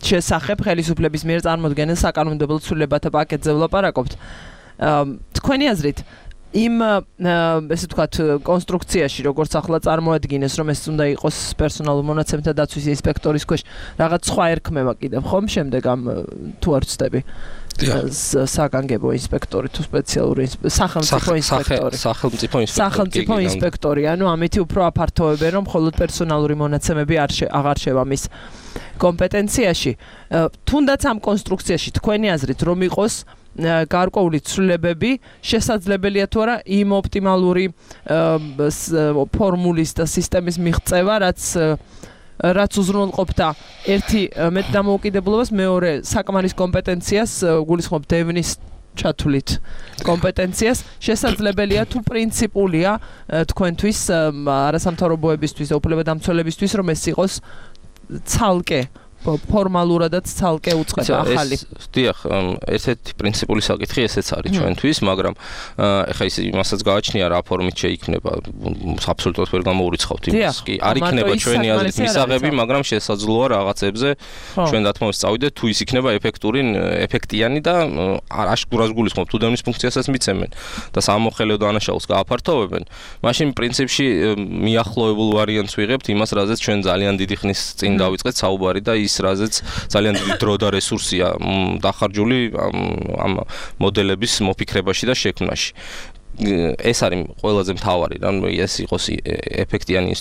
შესახებ ხელისუფლების მიერ წარმოდგენილ საკანონმდებლო ცვლილებათა პაკეტზე ვლაპარაკობთ. თქვენი აზრით იმ ესე ვთქვათ კონსტრუქციაში როგორც ახლა წარმოადგინეს რომ ეს უნდა იყოს პერსონალურ მონაცემთა დაცვის ინსპექტორის ქვეშ რაღაც სხვა ერქმევა კიდევ ხომ შემდეგ ამ თუ არ ვცდები საგანგებო ინსპექტორი თუ სპეციალური სახელმწიფო ინსპექტორი ანუ ამით უფრო აფართოვებენ რომ მხოლოდ პერსონალური მონაცემები აღარ შევა მის კომპეტენციაში თუნდაც ამ კონსტრუქციაში თქვენი აზრით რომ იყოს გარკვეული ცვლილებები შესაძლებელია თუ არა იმ ოპტიმალური ფორმულის და სისტემის მიღწევა რაც უზრუნველყოფდა ერთი მეტ დამოუკიდებლობას მეორე საკმარის კომპეტენციას გულისხმობ დევნის ჩათვლით კომპეტენციას შესაძლებელია თუ პრინციპულია თქვენთვის არასამთავრობოებისთვის და უფლებადამცველებისთვის რომ ეს იყოს ცალკე ფორმალურადაც ცალკე უწყება ახალი. დიახ, ერთ-ერთი პრინციპული საკითხი ესეც არის ჩვენთვის, მაგრამ ეხლა ის იმასაც გააჩნია რა ფორმით შეიქმნება, აბსოლუტურად ვერ გამოურიცხავთ იმას. კი, არ იქნება ჩვენი აზრით მისაღები, მაგრამ შესაძლოა რაღაცებზე ჩვენ დათმობს წავიდეთ, თუ ის იქნება ეფექტიანი და აშკურას გულისხმობ, თუ დევნის ფუნქციასაც მიცემენ და სამოხელეო დანაშაულს გააფართოვებენ, მაშინ პრინციპში მიახლოებულ ვარიანტს ვიღებთ იმას, რაზეც ჩვენ ძალიან დიდი ხნის წინ დავიწყეთ საუბარი და რაზეც ძალიან დიდი დრო და რესურსია დახარჯული ამ მოდელების მოფიქრებაში და შექმნაში. ეს არის ყველაზე მთავარი, რომ ეს იყოს ეფექტიანი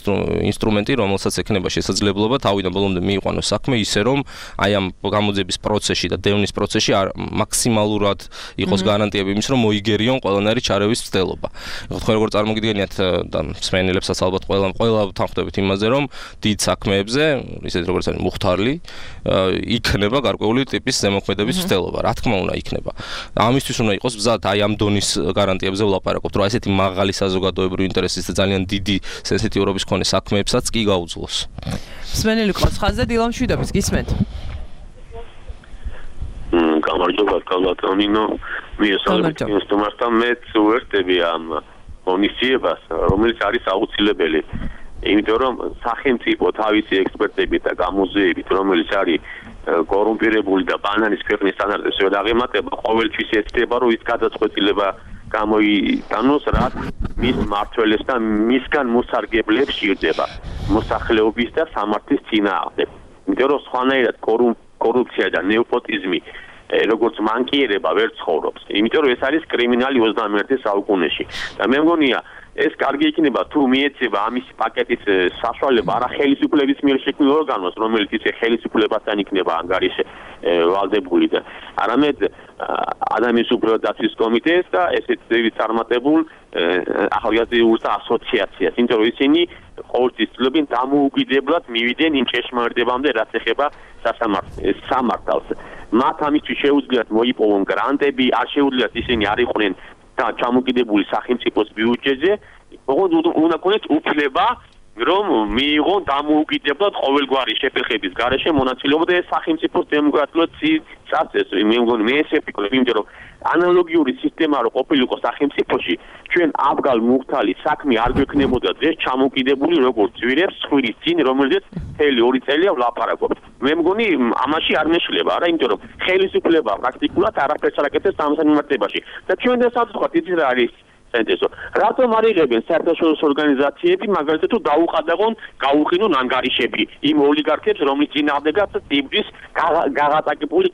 ინსტრუმენტი, რომელსაც ექნება შესაძლებლობა თავიდან ბოლომდე მიიყვანოს საქმე ისე, რომ აი ამ გამოძიების პროცესში და დევნის პროცესში მაქსიმალურად იყოს გარანტიები იმის, რომ მოიგერიონ ყველანაირი ჩარევის მცდელობა. თქვენ როგორ წარმოგიდგენიათ და მსმენელებსაც ალბათ ყველა თანხმდებით იმაზე, რომ დიდ საქმეებზე, ისეთ როგორც არის მუხთარლი, იქნება გარკვეული ტიპის ზემოქმედების მცდელობა. რა თქმა უნდა იქნება. ამისთვის უნდა იყოს მზად აი ამ დონის გარანტიებზე ვლაპარაკობთ, რომ ესეთი მაღალი საზოგადოებრივი ინტერესის და ძალიან დიდი სენსიტიურობის მქონე საქმეებსაც კი გაუძლოს. მსმენელი ყავს ხაზზე დილამ შვიდობის გისმენთ. გამარჯობა კალატონინო, მიესალმებით სტუმართან, მეც უერთდები ამ ღონისძიებას, რომელიც არის აუცილებელი. იმიტომ რომ სახელმწიფო თავისი ექსპერტებით და გამოძიებით, რომელიც არის კორუმპირებული და ბანანის ქვეყნის სტანდარტებს ვერ აღემატება, ყოველთვის ეცდება, რომ ის გადაწყვეტილება გამოიტანოს, რაც მის მმართველებს და მისგან მოსარგებლებს სჭირდება მოსახლეობის და სამართლის წინააღმდეგ. იმიტომ რომ სხვანაირად კორუფცია და ნეოპოტიზმი როგორც მანკიერება ვერ ცხოვრობს. იმიტომ რომ ეს არის კრიმინალი 21 საუკუნეში. და მე მგონია ეს კარგი იქნება თუ მიეცემა ამის პაკეტის საშუალება არა ხელისუფლების მიერ შექმნილ ორგანოს, რომელიც ისე ხელისუფლებასთან იქნება ანგარიში ვალდებული და არამედ ადამიანის უფლებათა დაცვის კომიტეტს და ესეთ წარმატებულ ახალგაზრდულთა ასოციაციას, იმიტომ რომ ისინი ყოველთვის ცდილობენ დამოუკიდებლად მივიდნენ იმ ჭეშმარიტებამდე, რაც ეხება სამართალს. მათ ამისთვის შეუძლიათ მოიპოვონ გრანტები, არ შეუძლიათ ისინი არ იყვნენ ჩამოკიდებული სახელმწიფოს ბიუჯეტზე, უნდა ქონდეს უფლება რომ მიიღონ დამოუკიდებლად ყოველგვარი შეფერხების გარეშე მონაწილეობა და სახელმწიფოს დემოკრატიულად წარსეს. მე მგონი მე ესე ვფიქრობ, იმიტომ რომ ანალოგიური სისტემა რო ყოფილიყო სახელმწიფოში, ჩვენ აბგალ მუხთალი საქმე არ გვექნებოდა დღეს ჩამოკიდებული როგორც ძვირებს ხვილის წინ, რომელზეც მთელი 2 წელია ვლაპარაკობთ. მე მგონი ამაში არ მეშლება, არა, იმიტომ რომ ხელისუფლება პრაქტიკულად არაფერს არ აკეთებს ამ მიმართებაში. და ჩვენ დასაც ვთქვათ, იცით რა არის საინტერესო. რატომ არ იღებენ საერთაშორისო ორგანიზაციები, მაგალითად თუ დაუყადაღონ, გაუყინონ ანგარიშები იმ ოლიგარქებს, რომლის წინააღმდეგაც ტიბრის გაღატაკებული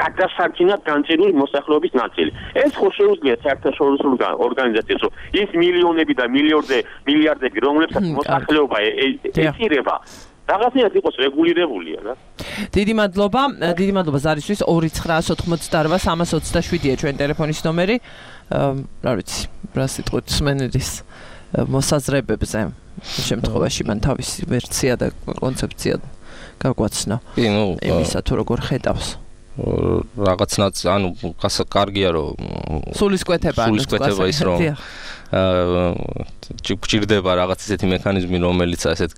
გადასარჩენად განწირული მოსახლეობის ნაწილი. ეს ხო შეუძლია საერთაშორისო ორგანიზაციას, რომ ის მილიონები და მილიარდები, რომლებსაც მოსახლეობა ეწირება, რაღაცნაირად იყოს რეგულირებულია რა. დიდი მადლობა ზარისთვის 2988327-ია ჩვენ ტელეფონის ნომერი. რა ვიცი, რა სიტყვით სმენელის მოსაზრებებზე შემთხვევაში მან თავისი ვერსია და კონცეფცია გაგვაცნო. იმისა თუ როგორ ხედავს. რაღაცნაირად ანუ კარგია რომ სულისკვეთება ის რომ გჭირდება რაღაც ისეთი მექანიზმი რომელიც ასეთ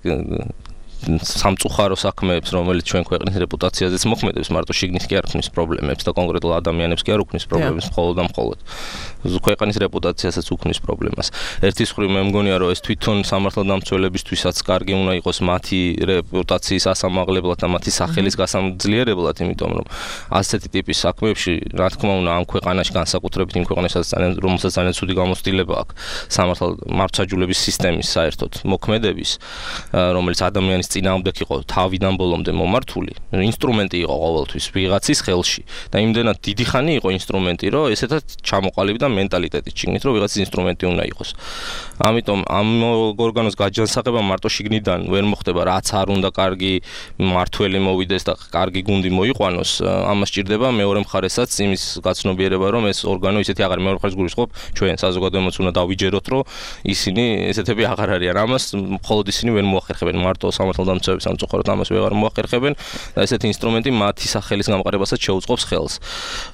სამწუხარო საქმეებს რომელიც ჩვენ ქვეყნის რეპუტაციაზეც მოქმედებს მარტო შიგნით კი არ ქმნის პრობლემებს და კონკრეტულ ადამიანებს კი არ უქმნის პრობლემებს მხოლოდ და მხოლოდ ქვეყნის რეპუტაციასაც უქმნის პრობლემას. ერთის მხრივ მე მგონია რომ ეს თვითონ სამართალდამცველებისთვისაც კარგი უნდა იყოს მათი რეპუტაციის ასამაღლებლად და მათი სახელის გასამძლიერებლად, იმიტომ რომ ასეთი ტიპის საქმეებში რა თქმა უნდა ამ ქვეყანაში განსაკუთრებით იმ ქვეყნებსაც რომელსაც ძალიან ცუდი გამოცდილება აქვს სამართალდამცველების სისტემის საერთოდ მოქმედების, რომელიც ადამიანის წინააღმდეგ იყო თავიდან ბოლომდე მომართული, ინსტრუმენტი იყო ყოველთვის ვიღაცის ხელში და იმდენად დიდი ხანი იყო ინსტრუმენტი, რომ ესეთად ჩამოყალიბდა და მენტალიტეტით შიგნით, რომ ვიღაცის ინსტრუმენტი უნდა იყოს. ამიტომ ამ ორგანოს გაჯანსაღება მარტო შიგნიდან ვერ მოხდება, რაც არ უნდა კარგი მართველი მოვიდეს და კარგი გუნდი მოიყვანოს, ამას სჭირდება მეორე მხარესაც იმის გაცნობიერება, რომ ეს ორგანო ისეთი აღარ მეორე მხარეს გულისხმობ, ჩვენ საზოგადოებაც უნდა დავიჯეროთ, რომ ისინი ესეთები აღარ არიან. ამას მხოლოდ ისინი ვერ მოახერხებენ, მარტო სამართალდამცავები სამწუხაროდ ამას ვერ მოახერხებენ და ესეთი ინსტრუმენტი მათი სახელის გამყარებასაც შეუწყობს ხელს.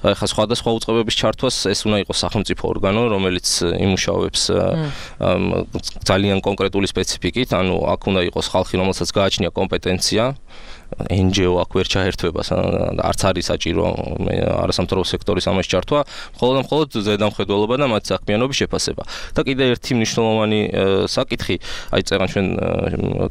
ეხლა სხვადასხვა უწყებების ჩართვას ეს უნდა იყოს სახელმწიფო ორგანო, რომელიც იმუშავებს ძალიან კონკრეტული სპეციფიკით, ანუ აქ უნდა იყოს ხალხი, რომელსაც გააჩნია კომპეტენცია, NGO აქ ვერ ჩაერთვება, არც არის საჭირო არასამთავრობო სექტორის ამას ჩართვა, მხოლოდ ზედამხედველობა და მათი საქმიანობის შეფასება. და კიდე ერთი მნიშვნელოვანი საკითხი, აი წერან ჩვენ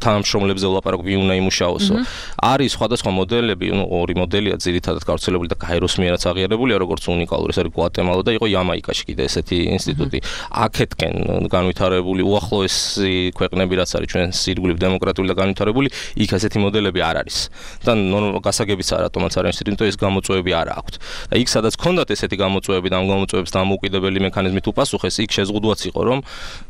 თანამშრომლებზე ვლაპარაკობ, ვინ უნდა იმუშაოსო. არის სხვადასხვა მოდელები, ორი მოდელია ძირითადად გავრცელებული და გაეროს მიერაც აღიარებულია, როგორც უნიკალური, ეს არის გვატემალა და იყო იამაიკაში კიდე ესეთი ინსტიტუტი. აქეთკენ განვითარებული უახლოესი ქვეყნები რაც არის ჩვენ სირგულით დემოკრატიული და განვითარებული, იქ ასეთი მოდელები არ არის. და გასაგებიც რატომაც არ არის იმიტომ ეს გამოწვევები არ აქვთ. და იქ სადაც ქონდათ ესეთი გამოწვევები და ამ გამოწვევებს დამოუკიდებელი მექანიზმით უპასუხეს, იქ შეზღუდვაც იყო რომ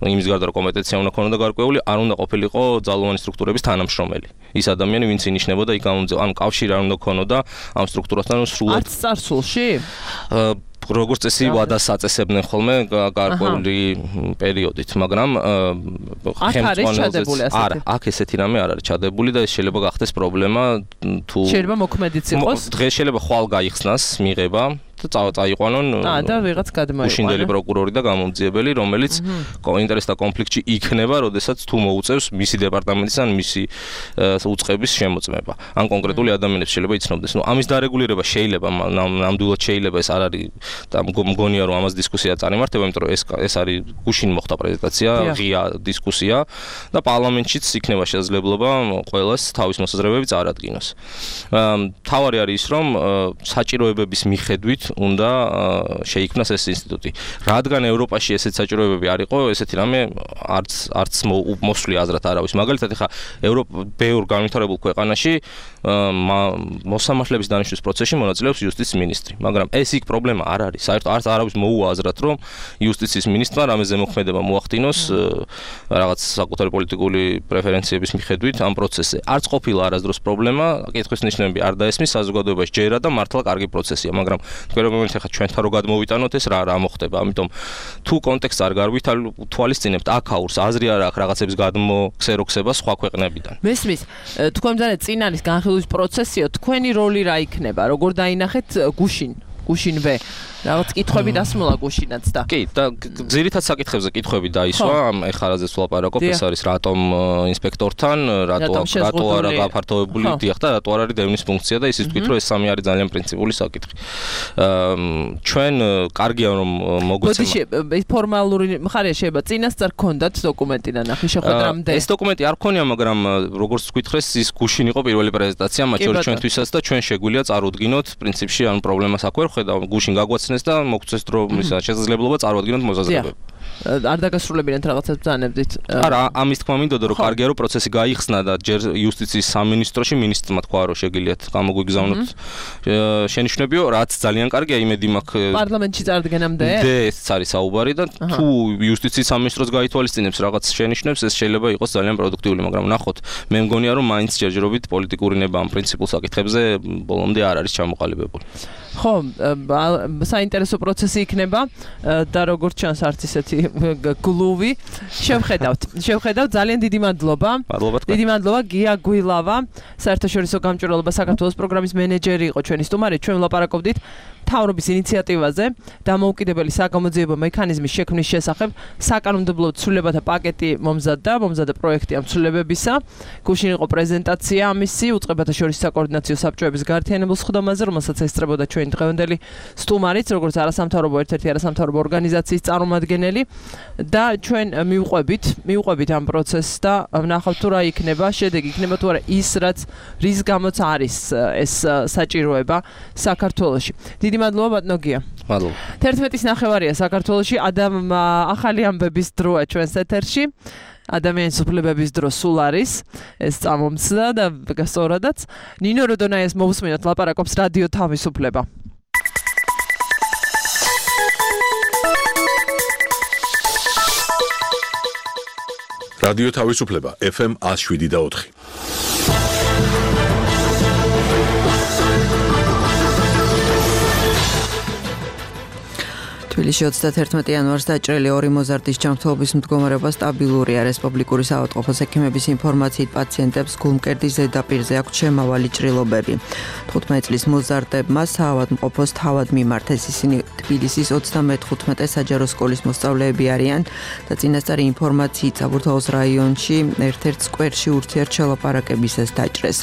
იმის გარდა რომ კომპეტენცია უნდა ქონოდა გარკვეული, არ უნდა ყოფილიყო ძალოვანი სტრუქტურების თანამშრომელი. ის ადამიანი ვინც ინიშნებოდა იქ ანუ კავშირი არ უნდა ქონოდა ამ სტრუქტურასთან სრულად. არც წარსულში? როგორც წესი ვადას აწესებდნენ ხოლმე გარკვეული პერიოდით, მაგრამ არა, აქ ესეთი რამე არ არის ჩადებული და ეს შეიძლება გახდეს პრობლემა თუ შეიძლება მოქმედიც იყოს. დღეს შეიძლება ხვალ გაიხსნას მიღება და წაიყვანონ და ვიღაც გადმოიყვანონ უშინდელი პროკურორი და გამომძიებელი, რომელიც ინტერესთა კონფლიქტში იქნება, როდესაც თუ მოუწევს მისი დეპარტამენტის ან მისი უწყების შემოწმება. ან კონკრეტული ადამიანებს შეიძლება იცნობდეს. ნუ ამის დარეგულირება შეიძლება, ნამდვილად შეიძლება, ეს არ არის და მგონია რომ ამას დისკუსია წარიმართება, იმიტომ რომ ეს არის გუშინ მოხდა პრეზენტაცია, ღია დისკუსია და პარლამენტშიც იქნება შესაძლებლობა ყველას თავის მოსაზრებები წარადგინოს. თავარი არის ის, რომ საჭიროებების მიხედვით უნდა შეიქმნას ეს ინსტიტუტი. რადგან ევროპაში ესეთი საჭიროებები არ იყო, ესეთი რამე არც მოსვლი აზრად არავის. მაგალითად, ეხა ბევრ განვითარებულ ქვეყანაში მოსამართლების დანიშვნის პროცესში მონაწილეობს იუსტიციის მინისტრი, მაგრამ ეს იქ პრობლემა არ არის. საერთოდ არც არავის მოუაზრათ, რომ იუსტიციის მინისტრმა რამეზე მოქმედება მოახდინოს რაღაც საკუთარი პოლიტიკური პრეფერენციების მიხედვით ამ პროცესზე. არც ყოფილა არასდროს პრობლემა, კითხვის ნიშნები არ დაესმის საზოგადოებაში ჯერა და მართლა კარგი პროცესია, მაგრამ თქვენ ახლა ჩვენთან რო გადმოვიტანოთ ეს რა მოხდება. ამიტომ თუ კონტექსტს არ თვალისწინებთ, აქაურს აზრი არ აქვს რაღაცების გადმოქსეროქსება სხვა ქვეყნებიდან. მესმის, თქვენთან წინ არის განხილვის პროცესიო, თქვენი როლი რა იქნება? როგორ დაინახეთ გუშინვე? რაღაც კითხვები დასმოლა გუშინაც და კი და ძირითად საკითხებზე კითხვები დაისვა ამ ეხარაზეც ვლაპარაკობ ეს არის რატომ ინსპექტორთან რატო არა გაფართოებული დიახ და რატო არ არის დევნის ფუნქცია და ისიც თქვით რომ ეს სამი არის ძალიან პრინციპული საკითხი ჩვენ კარგია რომ მოგვეცემა ეს ფორმალური მხარეა შეიძლება წინასწარ გქონდათ დოკუმენტი და ნახე შეხვედრამდე ეს დოკუმენტი არ ქონია მაგრამ როგორც გითხრეს ის გუშინ იყო პირველი პრეზენტაცია მათ შორის ჩვენთვისაც და ჩვენ შეგვიძლია წარუდგინოთ პრინციპში ან პრობლემას აქ ვერ ხედავ გუშინ გაგვაცნეს და მოგწეს დრო ისა შესაძლებლობა წარვადგინოთ მოსაზრებები. არ დაგასრულებინათ რაღაცას ბრძანებდით. არა, ამის თქმა მინდოდა რომ კარგია რომ პროცესი გაიხსნა და ჯერ იუსტიციის სამინისტროში მინისტრმა თქვა რომ შეგიძლიათ გამოგვიგზავნოთ შენიშვნებიო, რაც ძალიან კარგია, იმედი მაქვს პარლამენტში წარდგენამდე. ეს არის საუბარი და თუ იუსტიციის სამინისტროს გაითვალისწინებს რაღაც შენიშვნებს, ეს შეიძლება იყოს ძალიან პროდუქტიული, მაგრამ ნახოთ, მე მგონია რომ მაინც ჯერჯერობით პოლიტიკური ნება ამ პრინციპულ საკითხებზე ბოლომდე არ არის ჩამოყალიბებული. ხო, საინტერესო პროცესი იქნება და როგორც ჩანს არც ისეთი გლუვი. შევხედავთ, ძალიან დიდი მადლობა. დიდი მადლობა გია გვილავა, საერთაშორისო გამჭვირვალობა საქართველოს პროგრამის მენეჯერი იყო ჩვენი სტუმარი. ჩვენ ვლაპარაკობდით მთავრობის ინიციატივაზე დამოუკიდებელი საგამოძიებო მექანიზმის შექმნის შესახებ. საკანონმდებლო ცვლილებათა პაკეტი მომზადდა პროექტი ამ ცვლილებებისა. გუშინ იყო პრეზენტაცია ამისი უწყებათა შორის საკოორდინაციო საბჭოების გაერთიანებულ სხდომაზე, რომელსაც ესწრებოდა ჩვენი დღევანდელი სტუმარიც, როგორც არასამთავრობო ერთ-ერთი არასამთავრობო ორგანიზაციის წარმომადგენელი და ჩვენ მივყვებით ამ პროცესს და ვნახავთ თუ რა იქნება, შედეგი იქნება თუ არა ის, რის გამოც არის ეს საჭიროება საქართველოში. დიდი მადლობა ბატონო გია. მადლობა. 11:09 საქართველოში ახალი ამბების დროა ჩვენს ეთერში. ადამიანის უფლებების დრო სულ არის, ეს წამომცდა და სწორადაც. ნინო როდონაიას მოვუსმინოთ, ლაპარაკობს რადიო თავისუფლება. რადიო თავისუფლება FM 107.4. თბილისში 31 იანვარს დაჭრილი 2 მოზარდის ჯანმრთელობის მდგომარეობა სტაბილურია. რესპუბლიკური საავადმყოფოს ექიმების ინფორმაციით პაციენტებს გულმკერდის ზედაპირზე აქვთ შემავალი ჭრილობები. 15 წლის მოზარდებმა საავადმყოფოს თავად მიმართეს. ისინი თბილისის 35 საჯარო სკოლის მოსწავლეები არიან და წინასწარი ინფორმაციით საბურთალოს რაიონში ერთ-ერთ სკვერში ურთიერთშელაპარაკებისას დაჭრეს.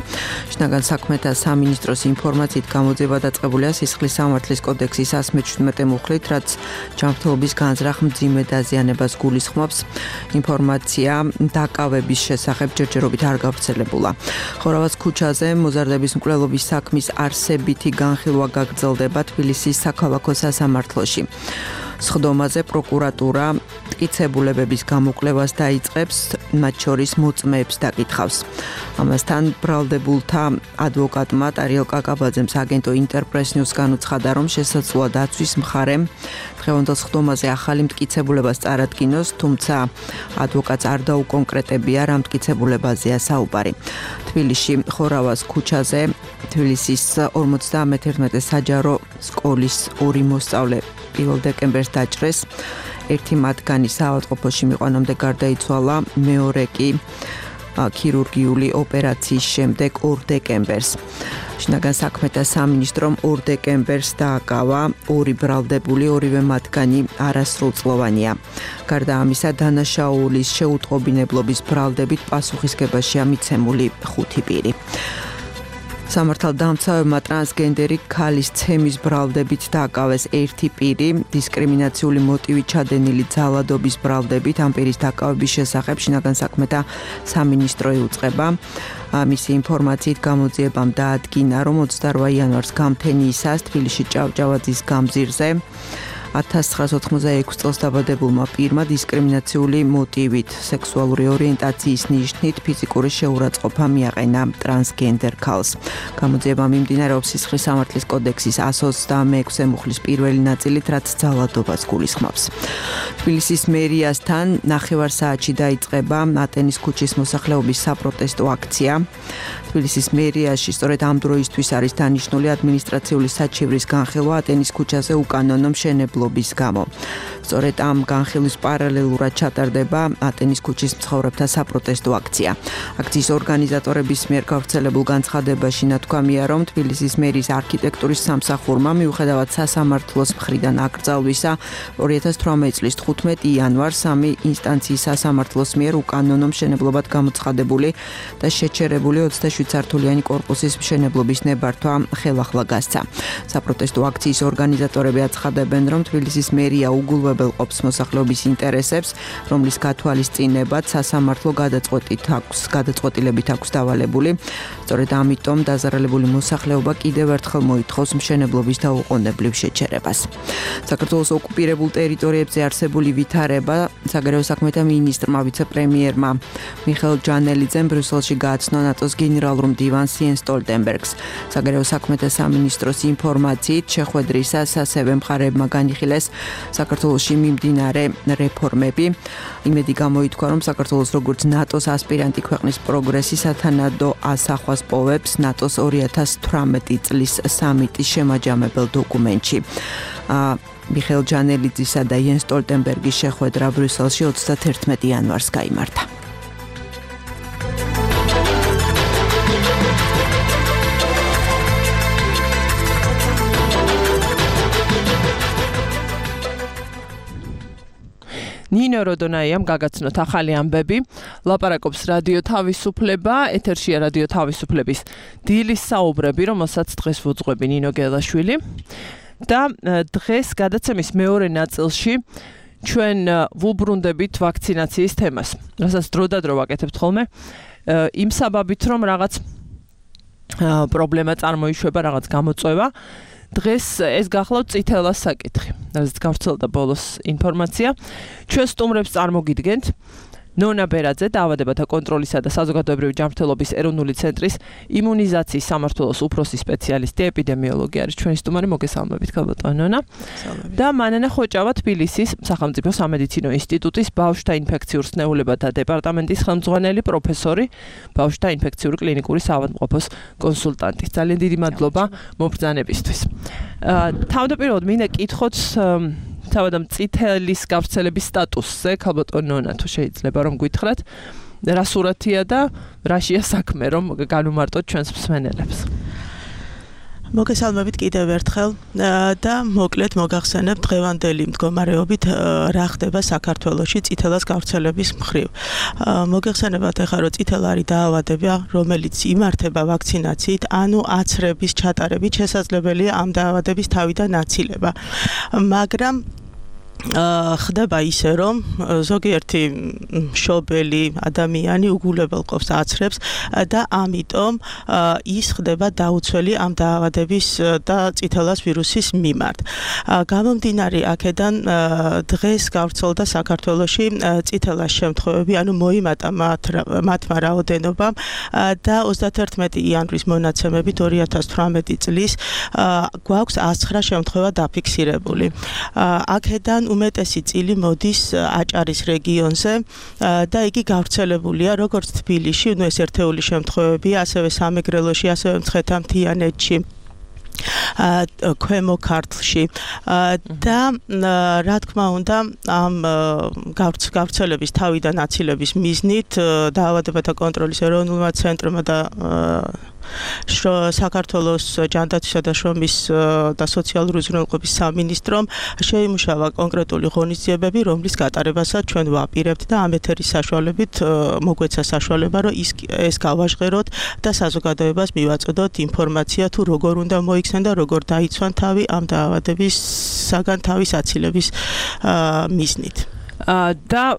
შინაგან საქმეთა სამინისტროს ინფორმაციით გამოძიება დაწყებულია სისხლის სამართლის კოდექსის 117 მუხლით, რაც ჯანმრთელობის განზრახ მძიმე დაზიანებას გულისხმობს. ინფორმაცია დაკავების შესახებ ჯერჯერობით არ გავრცელებულა. ხორავაც ქუჩაზე მოზარდების მკვლელობის საქმის არსებითი განხილვა გაგრძელდება თბილისის საქალაქო სასამართლოში. სხდომაზე პროკურატურა მტკიცებულებების გამოკვლევას დაიწყებს, მათ შორის მოწმეებს დაკითხავს. ამასთან ბრალდებულთა ადვოკატმა ტარიელ კაკაბაძემ სააგენტო ინტერპრეს-ნიუს განუცხადა, რომ შესაძლოა დაცვის მხარემ დღევანდელ სხდომაზე ახალი მტკიცებულებას წარადგინოს, თუმცა ადვოკატს არ დაუკონკრეტებია, რა მტკიცებულებაზეა საუბარი. თბილისში ხორავას ქუჩაზე თბილისის 51 საჯარო სკოლის 2 მოსწავლე 1 დეკემბერს დაჭრეს. ერთი მათგანი საავადმყოფოში მიყვანამდე გარდაიცვალა, მეორე კი ქირურგიული ოპერაციის შემდეგ 2 დეკემბერს. შინაგან საქმეთა სამინისტრომ 2 დეკემბერს დააკავა 2 ბრალდებული, ორივე მათგანი არასრულწლოვანია. გარდა ამისა, დანაშაულის შეუტყობინებლობის ბრალდებით პასუხისგებაშია მიცემული 5 პირი. სამართალდამცავებმა ტრანსგენდერი ქალის ცემის ბრალდებით დააკავეს 1 პირი, დისკრიმინაციული მოტივით ჩადენილი ძალადობის ბრალდებით ამ პირის დაკავების შესახებ შინაგან საქმეთა სამინისტრო იუწყება. მისი ინფორმაციით გამოძიებამ დაადგინა, რომ 28 იანვარს გამთენიისას თბილისში ჭავჭავაძის გამზირზე 1986 წელს დაბადებულმა პირმა დისკრიმინაციული მოტივით სექსუალური ორიენტაციის ნიშნით ფიზიკური შეურაცხყოფა მიაყენა ტრანსგენდერ ქალს. გამოძიება მიმდინარეობს სისხლის სამართლის კოდექსის 126 მუხლის პირველი ნაწილით, რაც ძალადობას გულისხმობს. თბილისის მერიასთან 9 საათში დაიწყება ატენის ქუჩის მოსახლეობის საპროტესტო აქცია. თბილისის მერიაში სწორედ ამ დროისთვის არის დანიშნული ადმინისტრაციული საჩივრის განხილვა ატენის ქუჩაზე უკანონო მშენებლობის გამო. სწორედ ამ განხილვის პარალელურად ჩატარდება ატენის ქუჩის მცხოვრებთა საპროტესტო აქცია. აქციის ორგანიზატორების მიერ გავრცელებულ განცხადებაში ნათქვამია, რომ თბილისის მერის არქიტექტურის სამსახურმა მიუხედავად სასამართლოს მხრიდან აკრძალვისა 2018 წლის 15 იანვარს 3 ინსტანციის სასამართლოს მიერ უკანონო მშენებლობად გამოცხადებული და შეჩერებული 27 სართულიანი კორპუსის მშენებლობის ნებართვა ხელახლა გასცა. საპროტესტო აქციის ორგანიზატორები აცხადებენ, რომ თბილისის მერია უგულვებელყოფს მოსახლეობის ინტერესებს, რომლის გათვალისწინებად სასამართლო გადაწყვეტილებით აქვს დავალებული. სწორედ ამიტომ დაზარალებული მოსახლეობა კიდევ ერთხელ მოითხოვს მშენებლობის დაუყოვნებლივ შეჩერებას. საქართველოს ოკუპირებულ ტერიტორიებზე არსებული ვითარება საგარეო საქმეთა მინისტრმა ვიცე-პრემიერმა მიხეილ ჯანელიძემ ბრიუსელში გააცნო ნატოს გენერალურ მდივანს იენს სტოლტენბერგს. საგარეო საქმეთა სამინისტროს ინფორმაციით შეხვედრისას ასევე მხარეებმა განიხილეს საქართველოში მიმდინარე რეფორმები. იმედი გამოითქვა, რომ საქართველოს როგორც ნატოს ასპირანტი ქვეყნის პროგრესი სათანადო ასახვას პოვებს ნატოს 2018 წლის სამიტის შემაჯამებელ დოკუმენტში. მიხეილ ჯანელიძისა და იენს სტოლტენბერგის შეხვედრა ბრიუსელში 31 იანვარს გაიმართა. ნინო როდონაიამ გაგაცნოთ ახალი ამბები. ლაპარაკობს რადიო თავისუფლება, ეთერშია რადიო თავისუფლების დილის საუბრები, რომელსაც დღეს ვუძღვები ნინო გელაშვილი. და დღეს გადაცემის მეორე ნაწილში ჩვენ ვუბრუნდებით ვაქცინაციის თემას. რასაც დროდადრო ვაკეთებთ ხოლმე, იმ საბაბით, რომ რაღაც პრობლემა წარმოიშვება, რაღაც გამოწვევა. დღეს ეს გახლავთ წითელას საკითხი. რაც გავრცელდა ბოლოს ინფორმაცია. ჩვენ სტუმრებს წარმოგიდგენთ ნონა ბერაძე, დაავადებათა კონტროლისა და საზოგადოებრივი ჯანმრთელობის ეროვნული ცენტრის იმუნიზაციის სამმართველოს უფროსი სპეციალისტი, ეპიდემიოლოგი არის ჩვენი სტუმარი. მოგესალმებით, ქალბატონო ნონა. და მანანა ხოჭავა თბილისის სახელმწიფო სამედიცინო ინსტიტუტის ბავშვთა ინფექციურ სნეულებათა დეპარტამენტის ხელმძღვანელი პროფესორი, ბავშვთა ინფექციური კლინიკური საავადმყოფოს კონსულტანტი. ძალიან დიდი მადლობა მობრძანებისთვის. თავდაპირველად მინდა კითხოთ თავადამ წითელის გავრცელების სტატუსზე, ქალბატონო ნონა, თუ შეიძლება რომ გითხრათ, რა სურათია და რაშია საქმე, რომ განუმარტოთ ჩვენს მსმენელებს. მოგესალმებით კიდევ ერთხელ და მოკლედ მოგახსენებთ დღევანდელი მდგომარეობით რა ხდება საქართველოში წითელას გავრცელების მხრივ. მოგეხსენებათ ახლა რომ წითელი არის დაავადება, რომელიც იმართება ვაქცინაციით, ანუ აცრების ჩატარებით შესაძლებელია ამ დაავადების თავიდან აცილება. მაგრამ ხდება ისე, რომ ზოგიერთი მშობელი ადამიანი უგულებელყოფს აცრებს და ამიტომ ის ხდება დაუცველი ამ დაავადების და წითელას ვირუსის მიმართ. გამომდინარე აქედან დღეს გავრცელდა საქართველოში წითელას შემთხვევები, ანუ მოიმატა მათმა რაოდენობამ და 31 იანვრის მონაცემებით 2018 წლის გვაქვს 109 შემთხვევა დაფიქსირებული. აქედან უმეტესი წილი მოდის აჭარის რეგიონზე და იგი გავრცელებულია როგორც თბილისში, ეს ერთეული შემთხვევებია, ასევე სამეგრელოში, ასევე მცხეთა-მთიანეთში, ქვემო ქართლში და რა თქმა უნდა ამ გავრცელების თავიდან აცილების მიზნით დაავადებათა კონტროლის ეროვნულმა ცენტრმა და საქართველოს ჯანდაცვისა და შრომის და სოციალური უზრუნველყოფის სამინისტრომ შეიმუშავა კონკრეტული ღონისძიებები, რომლის გატარებასაც ჩვენ ვაპირებთ და ამ ეთერის საშუალებით მოგვეცა საშუალება, რომ ეს გავაჟღეროთ და საზოგადოებას მივაწოდოთ ინფორმაცია თუ როგორ უნდა მოიქცნენ და როგორ დაიცვან თავი ამ დაავადებისაგან თავის აცილების მიზნით. და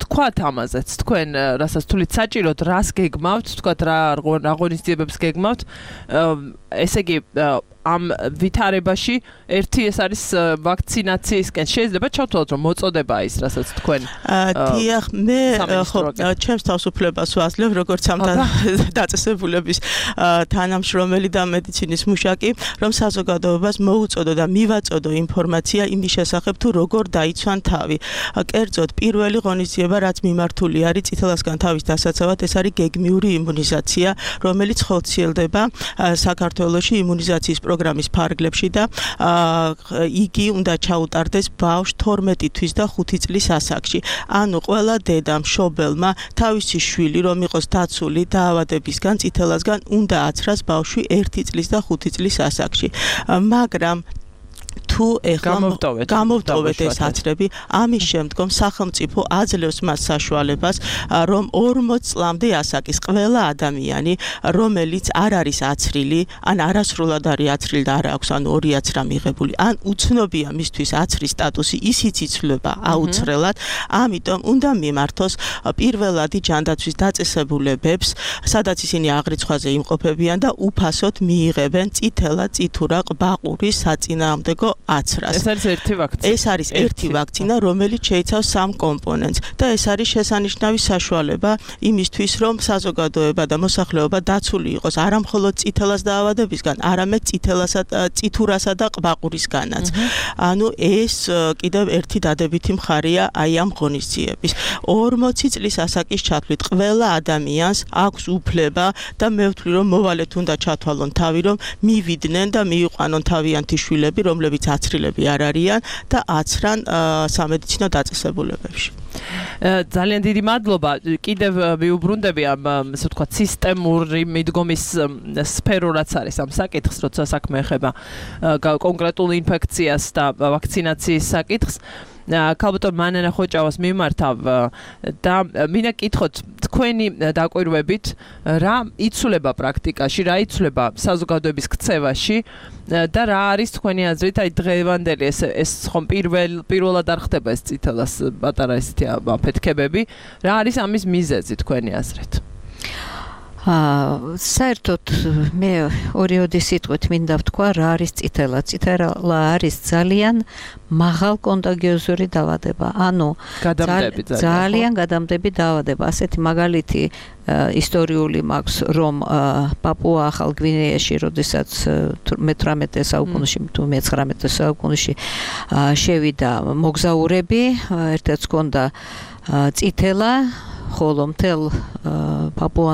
თქვათ ამაზეც თქვენ რასაც თulit საჭიროდ რას გეგმავთ, თქვათ რა ღონისძიებებს გეგმავთ, ესე იგი ამ ვითარებაში ერთი ეს არის ვაქცინაციისკენ შეიძლება ჩავთვალოთ რომ მოწოდება ის რასაც თქვენ დიახ მე ხო ჩემს თავისუფლებას ვაძლევ როგორც ამ დაწესებულების თანამშრომელი და მედიცინის მუშაკი რომ საზოგადოებას მოუწოდო და მივაწოდო ინფორმაცია იმის შესახებ თუ როგორ დაიცვან თავი კერძოდ პირველი ღონისძიება რაც მიმართული არის წითელასგან თავის დასაცავად ეს არის გეგმიური იმუნიზაცია რომელიც ხორციელდება საქართველოში იმუნიზაციის პროგრამის ფარგლებში და იგი უნდა ჩაუტარდეს ბავშვს 12 თვის და 5 წლის ასაკში. ანუ ყველა დედა მშობელმა თავისი შვილი რომ იყოს დაცული დაავადებისგან, წითელასგან უნდა აცრას ბავშვი 1 წლის და 5 წლის ასაკში. მაგრამ თუ თუ ეხლა გამოვტოვეთ ეს აცრები, ამის შემდგომ სახელმწიფო აძლევს მას საშუალებას, რომ 40 წლამდე ასაკის ყველა ადამიანი, რომელიც არ არის აცრილი, ან არასრულად არის აცრილი და არ აქვს ან ორი აცრა მიღებული, ან უცნობია მისთვის აცრის სტატუსი, ისიც იცვლება აუცრელად, ამიტომ უნდა მიმართოს პირველადი ჯანდაცვის დაწესებულებებს, სადაც ისინი აღრიცხვაზე იმყოფებიან და უფასოდ მიიღებენ წითელა, წითურა, ყბაყურის საწინააღმდეგო აცრას. ეს არის ერთი ვაქცინა, რომელიც შეიცავს 3 კომპონენტს და ეს არის შესანიშნავი საშუალება იმისთვის, რომ საზოგადოება და მოსახლეობა დაცული იყოს არა მხოლოდ წითელას დაავადებისგან, არამედ წითურასა და ყბაყურისგანაც. ანუ ეს კიდევ ერთი დადებითი მხარეა აი ამ ღონისძიების. 40 წლის ასაკის ჩათვლით ყველა ადამიანს აქვს უფლება და მე ვთვლი, რომ მოვალეთ უნდა ჩათვალონ თავი, რომ მივიდნენ და მიიყვანონ თავიანთი შვილები, რომლებიც აცრილები არ არიან და აცრან სამედიცინო დაწესებულებებში. ძალიან დიდი მადლობა. კიდევ ვიუბრუნდები ამ ასე ვთქვათ სისტემური მიდგომის სფერო რაც არის ამ საკითხს, როცა საქმე ეხება კონკრეტულ ინფექციას და ვაქცინაციის საკითხს. ქალბატონ მანანა ხოჭავას მიმართავ და მინდა კითხოთ თქვენი დაკვირვებით რა იცვლება პრაქტიკაში, რა იცვლება საზოგადოების ქცევაში და რა არის თქვენი აზრით აი დღევანდელი ეს ხომ პირველად არ ხდება ეს წითელას პატარა ესეთი აფეთქებები, რა არის ამის მიზეზი თქვენი აზრით? საერთოდ მე ორიოდი სიტყვით მინდა ვთქვა რა არის წითელა. წითელა არის ძალიან მაღალ კონტაგიოზური დაავადება. ანუ ძალიან გადამდები დაავადება. ასეთი მაგალითი ისტორიული მაქვს, რომ პაპუა ახალ გვინეაში, როდესაც 18 საუკუნეში თუ 19 საუკუნეში შევიდა მოგზაურები, ერთადაც ჰქონდა წითელა, ხოლო მთელ პაპუა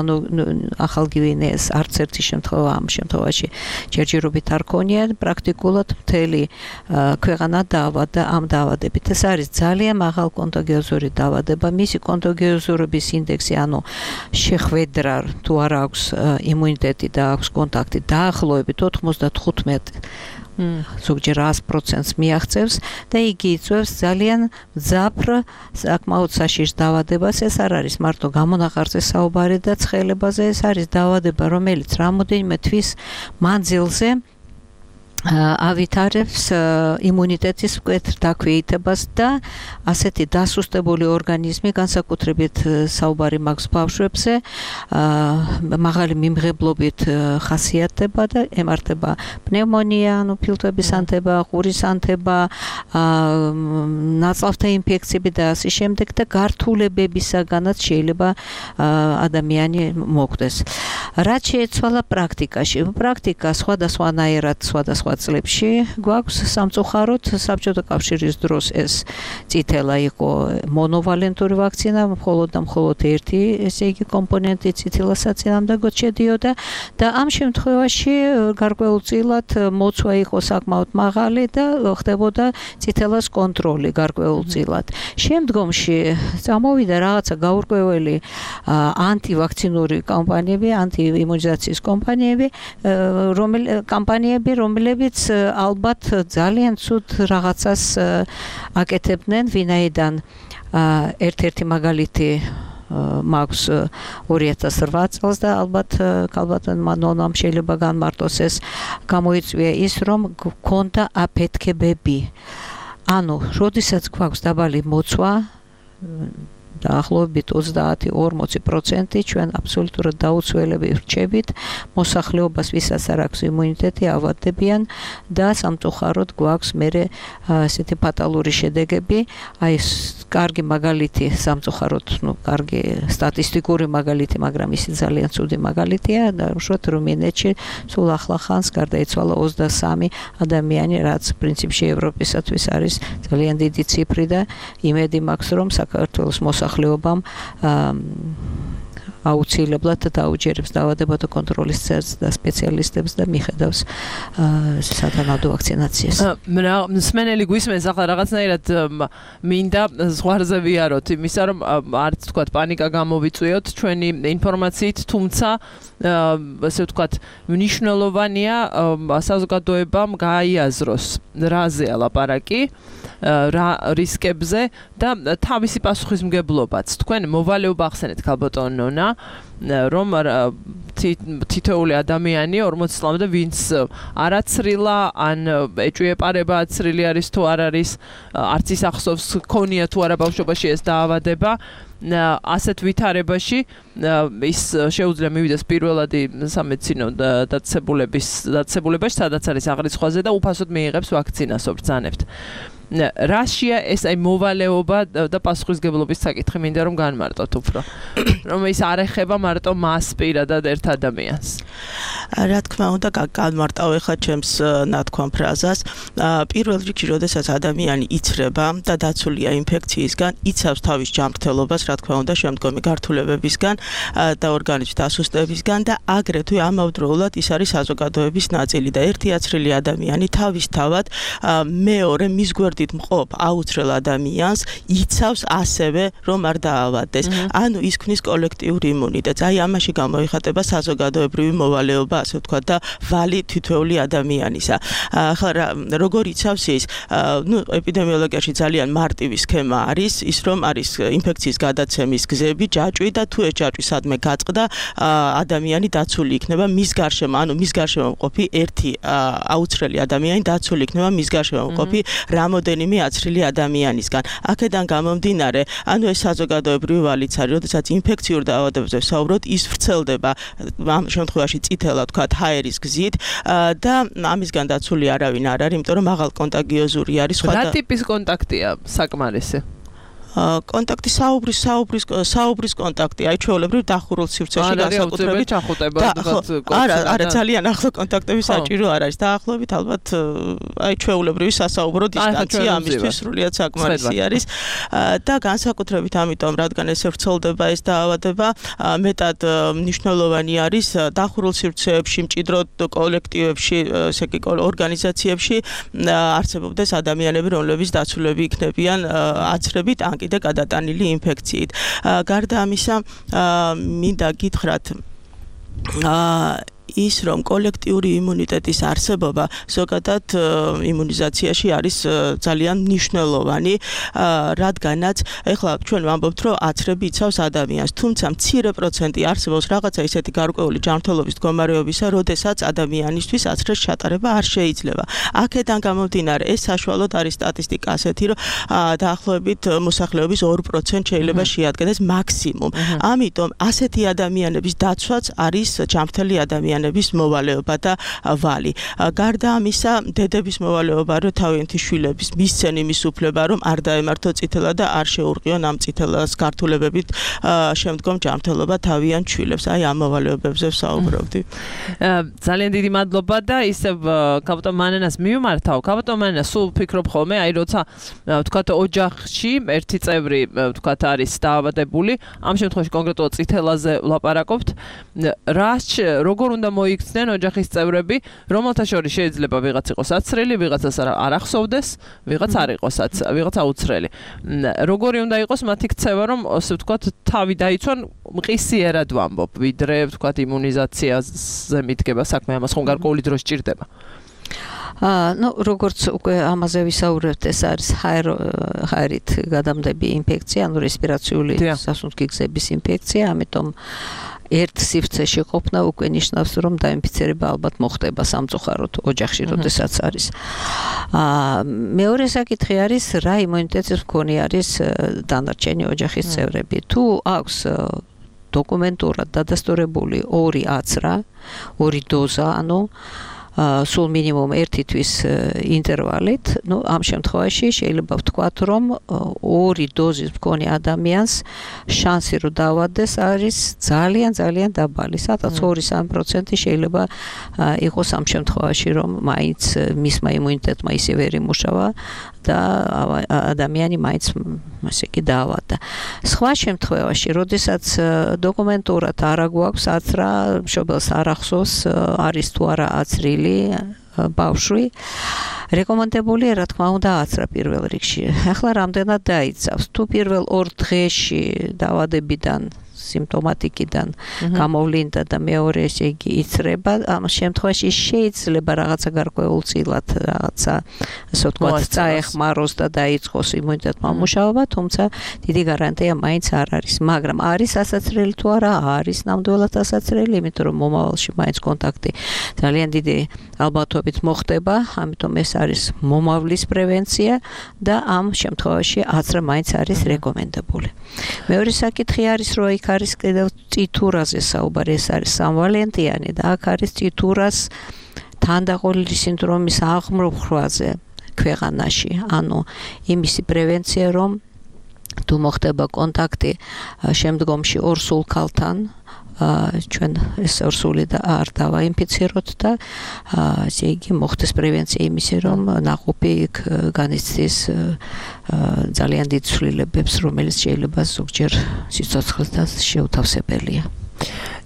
ახალ გვინეას არც ერთი შემთხვევა ამ შემთხვევაში ჯერჯერობით არ ქონია, პრაქტიკულად მთელი ქვეყანა დაავადდა ამ დაავადებით. ეს არის ძალიან მაღალ კონტაგიოზური დაავადება. მისი კონტაგიოზურობის ინდექსი, ანუ შეხვედრა თუ არ აქვს იმუნიტეტი და აქვს კონტაქტი, დაახლოებით 95 ზოგჯერ 100%-ს მიაღწევს და იგი იწვევს ძალიან მძაფრ საკმაოდ საშიშ დაავადებას. ეს არ არის მარტო გამონაყარზე საუბარი და ცხელებაზე, ეს არის დაავადება, რომელიც რამოდენიმე თვის მანძილზე ავითარებს იმუნიტეტის მკვეთრ დაქვეითებას და ასეთი დასუსტებული ორგანიზმი, განსაკუთრებით საუბარი მაქვს ბავშვებზე, მაღალი მიმღებლობით ხასიათდება და ემართება პნევმონია, ანუ ფილტვების ანთება, ყურის ანთება, ნაწლავთა ინფექციები და ასე შემდეგ და გართულებებისაგანაც შეიძლება ადამიანი მოკვდეს. რაც შეეცვალა პრაქტიკაში? პრაქტიკა სხვადასხვანაირად სხვადასხვა წლებში გვაქვს სამწუხაროდ. საბჭოთა კავშირის დროს ეს წითელა იყო მონოვალენტური ვაქცინა, მხოლოდ და მხოლოდ ერთი ესე იგი კომპონენტი წითელა საწინააღმდეგოდ შედიოდა და ამ შემთხვევაში გარკვეულწილად მოცვა იყო საკმაოდ მაღალი და ხდებოდა წითელას კონტროლი გარკვეულწილად. შემდგომში წამოვიდა რაღაცა გაურკვეველი ანტივაქცინური კამპანიები, ანტიიმუნიზაციის კამპანიები, რომლებიც ალბათ ძალიან ცუდ რაღაცას აკეთებდნენ, ვინაიდან ერთ-ერთი მაგალითი მაქვს 2008 წელს და ალბათ ნონამ შეიძლება განმარტოს ეს, გამოიწვია ის, რომ გქონდა აფეთქებები. ანუ, როდესაც გვაქვს დაბალი მოცვა, დაახლოებით 30-40% ჩვენ აბსოლუტურად დაუცველები ვრჩებით მოსახლეობას, ვისაც არ აქვს იმუნიტეტი, ავადდებიან და სამწუხაროდ გვაქვს მერე ესეთი ფატალური შედეგები. აი კარგი მაგალითი სამწუხაროდ, კარგი სტატისტიკური მაგალითი, მაგრამ ისე ძალიან ცუდი მაგალითია და უშუალოდ რუმინეთში სულ ახლახანს გარდაიცვალა 23 ადამიანი, რაც პრინციპში ევროპისათვის არის ძალიან დიდი ციფრი და იმედი მაქვს, რომ საქართველოს მოსახლეობამ აუცილებლად დაუჯერებს დაავადებათა კონტროლის ცენტრს და სპეციალისტებს და მიხედავს სათანადო ვაქცინაციას. მსმენელი გვისმენს, ახლა რაღაცნაირად მინდა ზღვარზე ვიაროთ იმისა, რომ არც თქვათ პანიკა გამოვიწვიოთ ჩვენი ინფორმაციით, თუმცა ასე ვთქვათ, მნიშვნელოვანია საზოგადოებამ გაიაზროს რაზეა ლაპარაკი, რა რისკებზე და თავისი პასუხისმგებლობაც. თქვენ მოვალეობა ახსენეთ ქალბატონ ნონა, რომ თითოეული ადამიანი 40 წლამდე ვინც არაცრილა ან ეჭვიეპარება აცრილი არის თუ არ არის, არც ის ახსოვს ქონია თუ არა ბავშვობაში ეს დაავადება, ასეთ ვითარებაში ის შეუძლია მივიდეს პირველადი სამედიცინო დაწესებულებაში, სადაც არის აღრიცხვაზე და უფასოდ მიიღებს ვაქცინას, ობრძანებთ. რაშია ეს აი მოვალეობა და პასუხისგებლობის საკითხი, მინდა რომ განმარტოთ უფრო. რომ ის არ ეხება მარტო მას პირადად ერთ ადამიანს. რა თქმა უნდა, განმარტავ ახლა ჩემს ნათქვამ ფრაზას. პირველ რიგში, როდესაც ადამიანი იცრება და დაცულია ინფექციისგან, იცავს თავის ჯანმრთელობას, რა თქმა უნდა, შემდგომი გართულებებისგან და ორგანიზმის დასუსტებისგან და აგრეთვე ამავდროულად ის არის საზოგადოების ნაწილი და ერთი აცრილი ადამიანი თავისთავად მეორე მის გვერდით მყოფ აუცრელ ადამიანს იცავს ასევე, რომ არ დაავადდეს. ანუ ის ქმნის კოლექტიური იმუნიტეტს. აი ამაში გამოიხატება საზოგადოებრივი მოვალეობა, ასე ვთქვათ, და ვალი თითოეული ადამიანისა. ახლა როგორ იცავს ის? ეპიდემიოლოგიაში ძალიან მარტივი სქემა არის, ის რომ არის ინფექციის გადაცემის გზები, ჯაჭვი და თუ ეს ჯაჭვი სადმე გაწყდა, ადამიანი დაცული იქნება მის გარშემო, ანუ მის გარშემო მყოფი ერთი აუცრელი ადამიანი დაცული იქნება მის გარშემო მყოფი რამოდენიმე აცრილი ადამიანისგან. აქედან გამომდინარე, ანუ ეს საზოგადოებრივი ვალიც არის, როდესაც ინფექციურ დაავადებებზე ვსაუბრობთ, ის ვრცელდება ამ შემთხვევაში წითელად ვთქვათ ჰაერის გზით და ამისგან დაცული არავინ არ არის, იმიტომ რომ მაღალ კონტაგიოზური არის. რა ტიპის კონტაქტია საკმარისი? კონტაქტი საუბრის კონტაქტი, აი ჩვეულებრივ დახურულ სივრცეში განსაკუთრებით არა ძალიან ახლო კონტაქტები საჭირო არ არის. დაახლოებით ალბათ აი ჩვეულებრივი სასაუბრო დისტანცია ამისთვის სრულიად საკმარისი არის და განსაკუთრებით ამიტომ, რადგან ესე ვრცელდება ეს დაავადება, მეტად მნიშვნელოვანი არის დახურულ სივრცეებში, მჭიდრო კოლექტივებში, ესე იგი ორგანიზაციებში არსებობდეს ადამიანები, რომლებიც დაცულები იქნებიან აცრებით ან კიდე გადატანილი ინფექციით. გარდა ამისა, მინდა გითხრათ ის რომ კოლექტიური იმუნიტეტის არსებობა ზოგადად იმუნიზაციაში არის ძალიან მნიშვნელოვანი, რადგანაც ეხლა ჩვენ ვამბობთ, რომ აცრები იცავს ადამიანს, თუმცა მცირე პროცენტი არსებობს რაღაცა ისეთი გარკვეული ჯანმრთელობის მდგომარეობისა, როდესაც ადამიანისთვის აცრეს ჩატარება არ შეიძლება. აქედან გამომდინარე, ეს საშუალოდ არის სტატისტიკა ასეთი, რომ დაახლოებით მოსახლეობის 2% შეიძლება შეადგენდეს მაქსიმუმ. ამიტომ ასეთი ადამიანების დაცვაც არის ჯანმრთელი ადამიანების მოვალეობა და ვალი. გარდა ამისა, დედების მოვალეობა, რომ თავიანთი შვილების მისცენ იმის უფლება, რომ არ დაემართო წითელა და არ შეურყიონ ამ წითელას გართულებებით შემდგომ ჯანმრთელობა თავიანთ შვილებს. აი ამ მოვალეობებზე ვსაუბრობდი. ძალიან დიდი მადლობა და ისევ ქალბატონ მანენას მივმართავ. ქალბატონ მანენა სულ ფიქრობ ხოლმე, აი როცა ვთქვათ ოჯახში ერთი წევრი ვთქვათ არის დაავადებული, ამ შემთხვევაში კონკრეტულად წითელაზე ვლაპარაკობთ, როგორ უნდა მოიქცნენ ოჯახის წევრები, რომელთა შორის შეიძლება ვიღაც იყოს აცრელი, ვიღაცას არ ახსოვდეს, ვიღაც არ იყოს ვიღაც აუცრელი. როგორი უნდა იყოს მათი ქცევა, რომ ასე ვთქვათ, თავი დაიცვან მყისიერად ვამბობ, ვიდრე ვთქვათ იმუნიზაციაზე მიდგება საქმე, ამას ხომ გარკვეული დრო სჭირდება. როგორც უკვე ამაზე ვისაუბრებთ, ეს არის ჰაერით გადამდები ინფექცია, ანუ რესპირაციული სასუნთქი გზების ინფექცია, ამიტომ ერთ სივრცეში ყოფნა უკვე ნიშნავს, რომ დაინფიცირება ალბათ მოხდება სამწუხაროდ ოჯახში, როდესაც არის. მეორე საკითხი არის, რა იმუნიტეტის მქონე არის დანარჩენი ოჯახის წევრები. თუ აქვს დოკუმენტურად დადასტურებული 2 აცრა, 2 დოზა, ანუ სულ მინიმუმ 1 თვის ინტერვალით, ამ შემთხვევაში შეიძლება ვთქვათ, რომ 2 დოზის მქონე ადამიანს შანსი რომ დაავადდეს არის ძალიან დაბალი. სადაც 2-3% შეიძლება იყოს ამ შემთხვევაში, რომ მაინც მისმა იმუნიტეტმა ისე ვერ იმუშავა და ადამიანი მაინც ასე კი დაავადდა. სხვა შემთხვევაში, როდესაც დოკუმენტურად არ აგვაქვს აცრა, მშობელს არ ახსოვს, არის თუ არა აცრილი ბავშვი, რეკომენდებულია, რა თქმა უნდა, აცრა პირველ რიგში. ახლა რამდენად დაიცავს? თუ პირველ 2 დღეში დაავადებიდან სიმპტომატიკიდან გამოვლინდა და მეორე ესე იგი იცრება, ამ შემთხვევაში შეიძლება რაღაცა გარკვეულწილად რაღაცა ასე ვთქვათ წაეხმაროს და დაიწყოს იმუნიტეტმა მუშაობა, თუმცა დიდი გარანტია მაინც არ არის, მაგრამ არის ასაცრელი თუ არა, არის ნამდვილად ასაცრელი, იმიტომ რომ მომავალში მაინც კონტაქტი ძალიან დიდი ალბათობით მოხდება, ამიტომ ეს არის მომავლის პრევენცია და ამ შემთხვევაში აცრა მაინც არის რეკომენდებული. მეორე საკითხი არის, რომ იქ არის კიდევ წითურაზე საუბარი, ეს არის სამვალენტიანი და აქ არის წითურას თანდაყოლილი სინდრომის აღმოფხვაზე ქვეყანაში, ანუ იმისი პრევენცია, რომ თუ მოხდება კონტაქტი შემდგომში ორ სულქალთან, ჩვენ ეს ორსული და არ დავაინფიციროთ და ესე იგი მოხდეს პრევენცია იმისი, რომ ნაყოფი იქ განიცდის ძალიან დიდ ცვლილებებს, რომელიც შეიძლება ზოგჯერ სიცოცხლესაც შეუთავსებელია.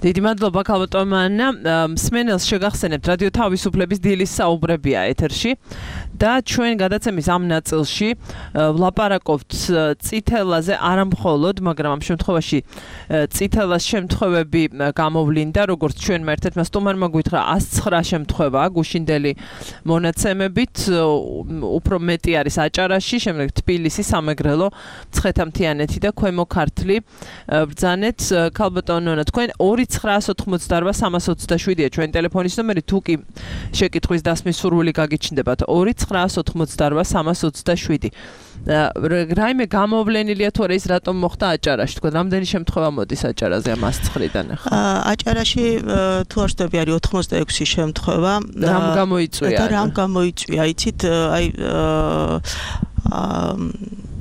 დიდი მადლობა ქალბატონმა. მსმენელს შეგახსენებთ, რადიო თავისუფლების დილის საუბრებია ეთერში და ჩვენ გადაცემის ამ ნაწილში ვლაპარაკობთ წითელაზე არამხოლოდ, მაგრამ ამ შემთხვევაში წითელას შემთხვევები გამოვლინდა, როგორც ჩვენმა ერთ-ერთმა სტუმარმა გითხრა, 109 შემთხვევა გუშინდელი მონაცემებით, უფრო მეტი არის აჭარაში, შემდეგ თბილისი, სამეგრელო, მცხეთა-მთიანეთი და ქვემო ქართლი. ბრძანეთ ქალბატონო, თქვენ 2988327-ია ჩვენი ტელეფონის ნომერი, თუ კი შეკითხვის დასმის სურვილი გაგიჩნდებათ 2988327. რაიმე გამოვლენილია თუ არა ის რატომ მოხდა აჭარაში? თქვენ რამდენი შემთხვევა მოდის აჭარაზე ამ 109-დან ახლა? აჭარაში თუ არ ვშტები არის 86 შემთხვევა. რამ გამოიწვია? და რამ გამოიწვია? იცით, აი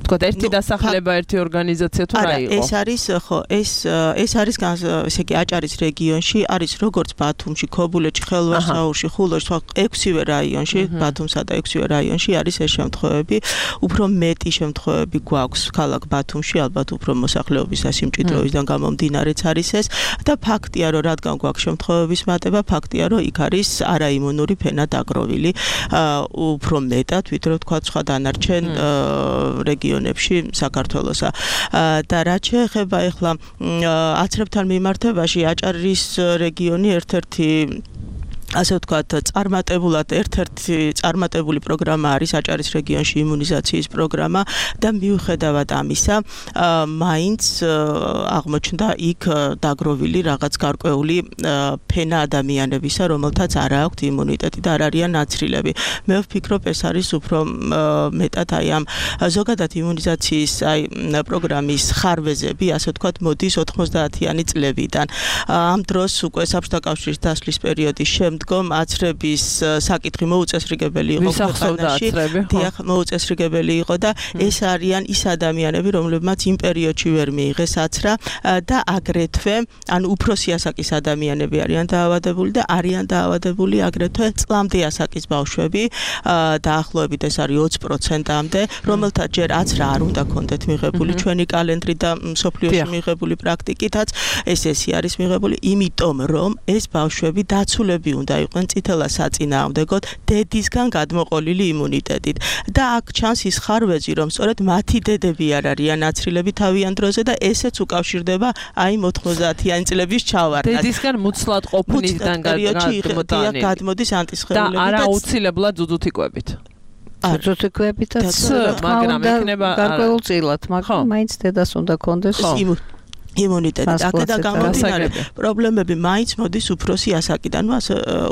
თქვათ ერთი დასახლება, ერთი ორგანიზაცია თუ რა იყო? ეს არის, ხო, ეს არის ესე იგი აჭარის რეგიონში, არის როგორც ბათუმში, ქობულეთში, ხელვასაურში, ხულოში, სხვა 6-ვე რაიონში, ბათუმსა და 6-ვე რაიონში არის ეს შემთხვევები. უფრო მეტი შემთხვევები გვაქვს ქალაქ ბათუმში, ალბათ უფრო მოსახლეობის სასიმჭიდროვისგან გამომდინარეც არის ეს და ფაქტია, რომ რადგან გვაქვს შემთხვევების მატება, ფაქტია, რომ იქ არის არაიმუნური ფენა დაგროვილი, უფრო მეტად, ვიდრე თქვა სხვა დანარჩენ რეგიონებში საქართველოსა. და რაც შეეხება ახლა აცრებთან მიმართებაში, აჭარის რეგიონი ერთ-ერთი ასე ვთქვათ, წარმატებულად ერთ-ერთი წარმატებული პროგრამა არის აჭარის რეგიონში იმუნიზაციის პროგრამა და მიუხედავად ამისა, მაინც აღმოჩნდა იქ დაგროვილი რაღაც გარკვეული ფენა ადამიანებისა, რომელთაც არ აქვთ იმუნიტეტი და არ არიან ნაცრილები. მე ვფიქრობ, ეს არის უფრო მეტად აი ამ ზოგადად იმუნიზაციის აი პროგრამის ხარვეზები, ასე ვთქვათ, მოდის 90-იანი წლებიდან. ამ დროს უკვე საბჭოთა კავშირის დასვლის პერიოდის შემდგომ აცრების საკითხი მოუწესრიგებელი იყო ქვეყანაში. დიახ, მოუწესრიგებელი იყო და ეს არიან ის ადამიანები, რომლებმაც იმ პერიოდში ვერ მიიღეს აცრა და აგრეთვე, ანუ უფროსი ასაკის ადამიანები არიან დაავადებული და არიან დაავადებული აგრეთვე წლამდე ასაკის ბავშვები, დაახლოებით ეს არის 20%-მდე, რომელთაც ჯერ აცრა არ უნდა ქონდეთ მიღებული ჩვენი კალენდრით და მსოფლიოში მიღებული პრაქტიკითაც ეს არის მიღებული, იმიტომ რომ ეს ბავშვები დაცულები უნდა იყვნენ წითელა საწინააღმდეგოდ დედისგან გადმოყოლილი იმუნიტეტით და აქ ჩანს ის ხარვეზი, რომ სწორედ მათი დედები არ არიან ნაცრილები თავიანთ დროზე და ესეც უკავშირდება აი 90-იანი წლების ჩავარდნას. დედისგან მუცლად ყოფნისგან გადმოდის ანტისხეულები და არა აუცილებლად ძუძუთიკვებით. ძუძუთიკვებითაც, მაგრამ იქნება გარკვეულწილად, მაგრამ მაინც დედას უნდა კონდეს იმუნიტეტი. აქედან გამომდინარე პრობლემები მაინც მოდის უფროსი ასაკიდან,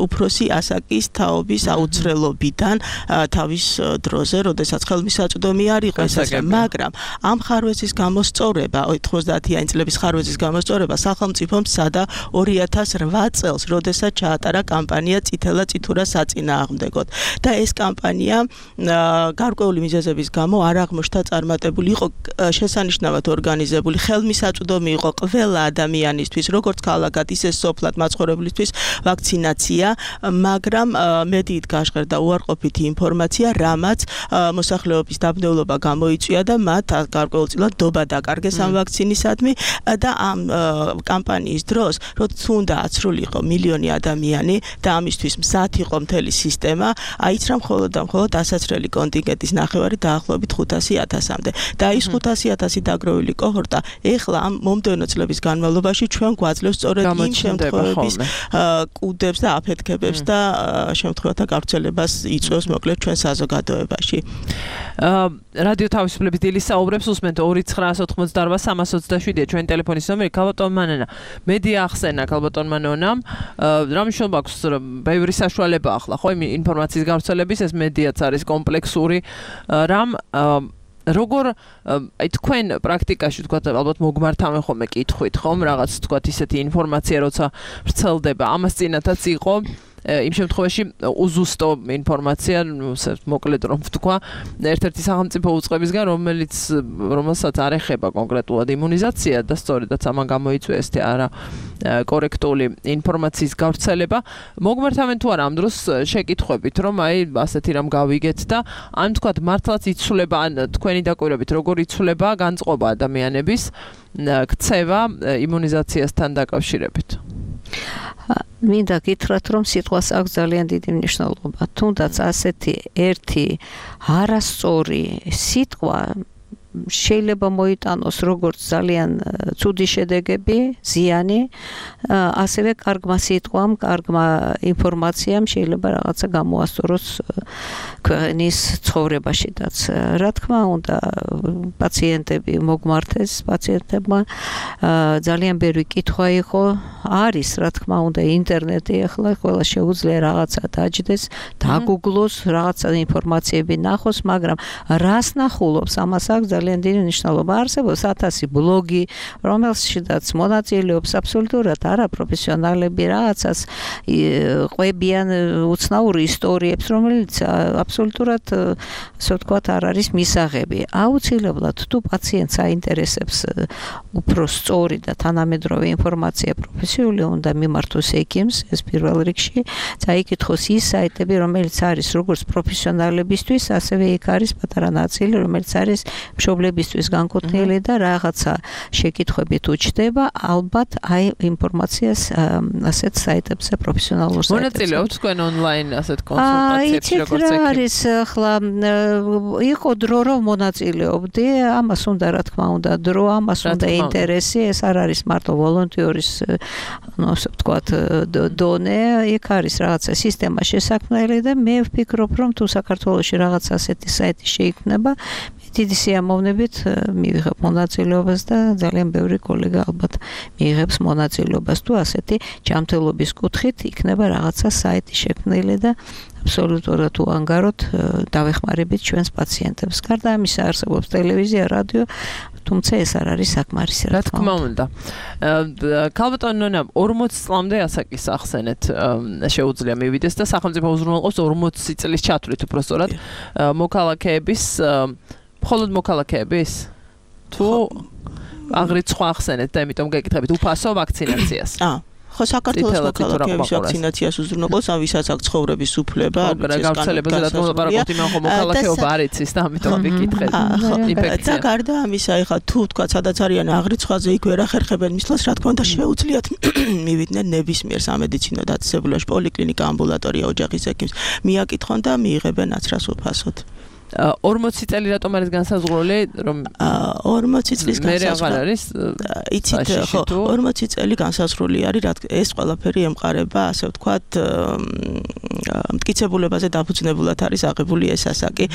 უფროსი ასაკის თაობის აუცილებლობიდან თავის დროზე, როდესაც ხელმისაწვდომი არ იყო ეს, მაგრამ ამ ხარვეზის გამოსწორება, 90-იანი წლების ხარვეზის გამოსწორება სახელმწიფომ სცადა 2008 წელს, როდესაც ჩაატარა კამპანია წითელა წითურა საწინააღმდეგოდ და ეს კამპანია გარკვეული მიზეზების გამო არ აღმოჩნდა წარმატებული, იყო შესანიშნავად ორგანიზებული, ხელმისაწვდომი იყო ყველა ადამიანისთვის, როგორც ქალაქად, ისე სოფლად მაცხოვრებლისთვის ვაქცინაცია, მაგრამ მედიით გაჟღერდა უარყოფითი ინფორმაცია, რამაც მოსახლეობის დაბნეულობა გამოიწვია და მათ გარკვეულწილად დობა დაკარგეს ამ ვაქცინისადმი და ამ კამპანიის დროს, როცა უნდა აცრულიყო მილიონი ადამიანი და ამისთვის მზად იყო მთელი სისტემა, აიცრა მხოლოდ და მხოლოდ ასაცრელი კონტინგენტის ნახევარი დაახლოებით 500,000-მდე და ის 500,000 დაგროვილი კოჰორტა ეხლა ამ მომდევნო წლების განმავლობაში ჩვენ გვაძლევს სწორედ იმ შემთხვევების კუდებს და აფეთქებებს და შემთხვევათა გავრცელებას იწვევს მოკლედ ჩვენ საზოგადოებაში. რადიო თავისუფლების დილის საუბრებს უსმენთ 2988327 ჩვენი ტელეფონის ნომერი. ქალბატონ მანანა, მედია ახსენა ქალბატონ მანონამ, რა მნიშვნელობა აქვს ბევრი საშუალება ახლა ხო ინფორმაციის გავრცელების, ეს მედიაც არის კომპლექსური რამ როგორ აი თქვენ პრაქტიკაში თქვა ალბათ მოგმართავენ ხოლმე კითხვით ხომ რაღაც თქვა ისეთი ინფორმაცია როცა ვრცელდება ამას წინათაც იყო იმ შემთხვევაში უზუსტო ინფორმაცია მოკლედ რომ ვთქვა ერთ-ერთი სახელმწიფო უწყებისგან რომელსაც არ ეხება კონკრეტულად იმუნიზაცია და სწორედაც ამან გამოიწვია ეს არა კორექტული ინფორმაციის გავრცელება მოგმართავენ თუ არა ამ დროს შეკითხვებით რომ აი ასეთი რამ გავიგეთ და ან თქვა მართლაც იცვლება ან თქვენი დაკვირვებით როგორ იცვლება განწყობა ადამიანების ქცევა იმუნიზაციასთან დაკავშირებით მინდა გითხრათ რომ სიტყვას აქვს ძალიან დიდი მნიშვნელობა თუნდაც ასეთი ერთი არასწორი სიტყვა შეიძლება მოიტანოს როგორც ძალიან ცუდი შედეგები, ზიანი, ასევე კარგმა სიტყვამ, კარგმა ინფორმაციამ შეიძლება რაღაცა გამოასწოროს ქვეყნის ცხოვრებაშიდაც. რა თქმა უნდა, პაციენტები მოგმართეს, პაციენტებმა ძალიან ბევრი კითხვა იყო, არის რა თქმა უნდა ინტერნეტი ახლა ყველა შეუძლია რაღაცა დაჯდეს, დაგუგლოს, რაღაცა ინფორმაციები ნახოს, მაგრამ რას ნახულობს, ამას აქვს ძალიან დიდი მნიშვნელობა. არსებობს 1000 ბლოგი, რომელშიც მონაწილეობს აბსოლუტურად არაპროფესიონალები, რაღაცას ყვებიან უცნაური ისტორიებს, რომელიც აბსოლუტურად, ასე ვთქვათ, არ არის მისაღები. აუცილებლად თუ პაციენტს აინტერესებს უფრო სწორი და თანამედროვე ინფორმაცია პროფესიული უნდა მიმართოს ექიმს, ეს პირველ რიგში, წაიკითხოს ის საიტები, რომელიც არის როგორც პროფესიონალებისთვის, ასევე იქ არის პატარა ნაწილი, რომელიც არის მშობლებისთვის განკუთვნილი და რაღაცა შეკითხვებით უჩნდება, ალბათ აი ინფორმაციას ასეთ საიტებზე პროფესიონალურ საიტებზე. მონაწილეობთ თქვენ ონლაინ ასეთ კონსულტაციებში როგორც ექიმი? არის ახლა იყო დრო რომ მონაწილეობდი, ამას უნდა რა თქმა უნდა დრო, ამას უნდა ინტერესი, ეს არ არის მარტო ვოლონტიორის ასე ვთქვათ დონე, იქ არის რაღაცა სისტემა შესაქმნელი და მე ვფიქრობ რომ თუ საქართველოში რაღაც ასეთი საიტი შეიქმნება დიდი სიამოვნებით მივიღებ მონაწილეობას და ძალიან ბევრი კოლეგა ალბათ მიიღებს მონაწილეობას თუ ასეთი ჯანმრთელობის კუთხით იქნება რაღაცა საიტი შექმნილი და აბსოლუტურად უანგაროდ დავეხმარებით ჩვენს პაციენტებს. გარდა ამისა არსებობს ტელევიზია, რადიო, თუმცა ეს არ არის საკმარისი რა თქმა უნდა. ქალბატონ ნონა 40 წლამდე ასაკის ახსენეთ შეუძლია მივიდეს და სახელმწიფო უზრუნველყოფს 40 წლის ჩათვლით უბრალოდ მოქალაქეების მხოლოდ მოქალაქეების თუ აღრიც სხვა ახსენეთ და იმიტომ გეკითხებით უფასო ვაქცინაციას. ხო საქართველოს მოქალაქეების ვაქცინაციას უზრუნველყოფს, ამ ვისაც აქვს ცხოვრების უფლება, გავრცელებაზე რა თქმა უნდა პარაკობთ იმან ხომ მოქალაქეობა არ იცის და ამიტომ ვიკითხეთ. და გარდა ამისა, ეხლა თუ თქვა სადაც არიან აღრიცხვაზე იქ ვერ ახერხებენ მისვლას, რა თქმა უნდა შეუძლიათ მივიდნენ ნებისმიერ სამედიცინო დაწესებულებაში, პოლიკლინიკა, ამბულატორია, ოჯახის ექიმს, მიაკითხონ და მიიღებენ აცრას უფასოდ. 40 წელი რატომ არის განსაზღვრული რომ 40 წლის განსაზღვრული არის იცით ხო 40 წელი განსაზღვრული არის რა ეს ყველაფერი ემყარება ასე ვთქვათ მტკიცებულებაზე დაფუძნებულად არის აღებული ეს ასაკი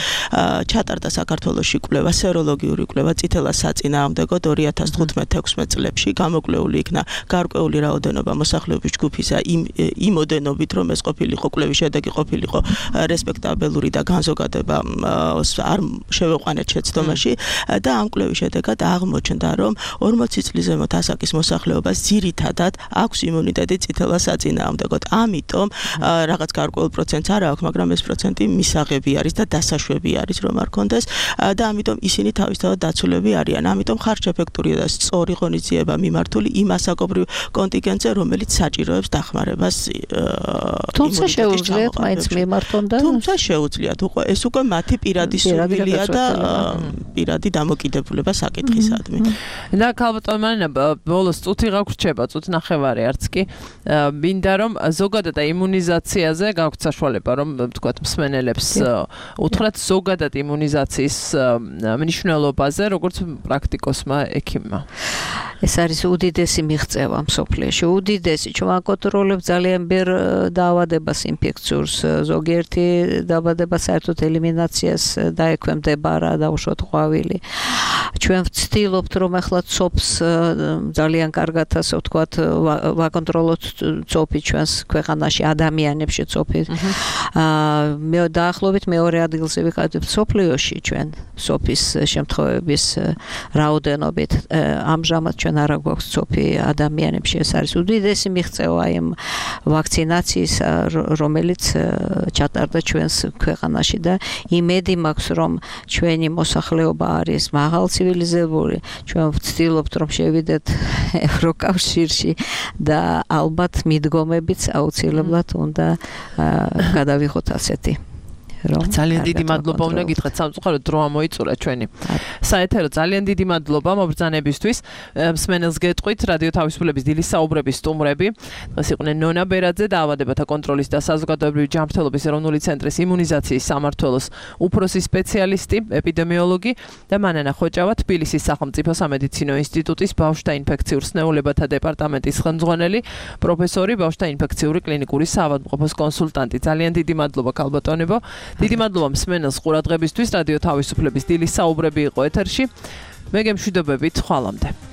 ჩატარდა საქართველოში კვლევა სეროლოგიური კვლევა წითელა საწინააღმდეგოდ 2015-16 წლებში გამოკვლეული იქნა გარკვეული რაოდენობა მოსახლეობის ჯგუფისა იმ ოდენობით რომ ეს ყოფილიყო კვლევის შედეგი ყოფილიყო რესპექტაბელური და განზოგადება არ შევეყვანეთ შეცდომაში და ამ კვლევის შედეგად აღმოჩნდა რომ 40 წლის ზემოთ ასაკის მოსახლეობას ძირითადად აქვს იმუნიტეტი წითელა საწინააღმდეგოდ. ამიტომ რაღაც გარკვეულ პროცენტს არ აქვს, მაგრამ ეს პროცენტი მისაღები არის და დასაშვები არის რომ არ კონდეს და ამიტომ ისინი თავისთავად დაცულები არიან. ამიტომ ხარჯ-ეფექტური და სწორი ღონისძიება მიმართული იმ ასაკობრივ კონტინგენტზე, რომელიც საჭიროებს დახმარებას. თუმცა შეუძლიათ მაინც მიმართონ და თუმცა შეუძლიათ ეს უკვე მათი პირადი სურვილია და პირადი დამოკიდებულება საკითხისადმი. და ქალბატონ მანანა ბოლოს წუთი გაგვრჩება, წუთი ნახევარი არც კი. მინდა რომ ზოგადად იმუნიზაციაზე გაქვთ საშუალება რომ ვთქვათ მსმენელებს უთხრათ ზოგადად იმუნიზაციის მნიშვნელობაზე როგორც პრაქტიკოსმა ექიმმა. ეს არის უდიდესი მიღწევა მსოფლიოში. უდიდესი, ჩვენ აკონტროლებთ ძალიან ბევრ დაავადებას, ინფექციურს, ზოგიერთი დაავადება საერთოდ ელიმინაციას დაექვემდებარა, დაუშვათ ყვავილი. ჩვენ ვცდილობთ, რომ ახლა ცოფს ძალიან კარგად, ასე ვთქვათ, ვაკონტროლოთ ცოფი ჩვენს ქვეყანაში, ადამიანებში ცოფი. მე დაახლოებით მეორე ადგილზე ვიყავით მსოფლიოში ჩვენ ცოფის შემთხვევების რაოდენობით. ამჟამად ჩვენ არ გვაქვს ცოფი ადამიანებში. ეს არის უდიდესი მიღწევა იმ ვაქცინაციის, რომელიც ჩატარდა ჩვენს ქვეყანაში და იმედი მაქვს, რომ ჩვენი მოსახლეობა არის მაღალ ცივილიზებული. ჩვენ ვცდილობთ, რომ შევიდეთ ევროკავშირში და ალბათ მიდგომებიც აუცილებლად უნდა გადავიღოთ ასეთი. ძალიან დიდი მადლობა უნდა გითხრათ სამწუხაროდ დრო ამოიწურა ჩვენი საეთერო ძალიან დიდი მადლობა მობრძანებისთვის მსმენელს გეტყვით რადიო თავისუფლების დილის საუბრების სტუმრები დღეს იყვნენ ნონა ბერაძე დაავადებათა კონტროლის და საზოგადოებრივი ჯანმრთელობის ეროვნული ცენტრის იმუნიზაციის სამმართველოს უფროსი სპეციალისტი ეპიდემიოლოგი და მანანა ხოჭავა თბილისის სახელმწიფო სამედიცინო ინსტიტუტის ბავშვთა ინფექციურ სნეულებათა დეპარტამენტის ხელმძღვანელი პროფესორი ბავშვთა ინფექციური კლინიკური საავადმყოფოს კონსულტანტი ძალიან დიდი მადლობა ქალბატონებო დიდი მადლობა მსმენელს ყურადღებისთვის რადიო თავისუფლების დილის საუბრები იყო ეთერში მე გემშვიდობებით ხვალამდე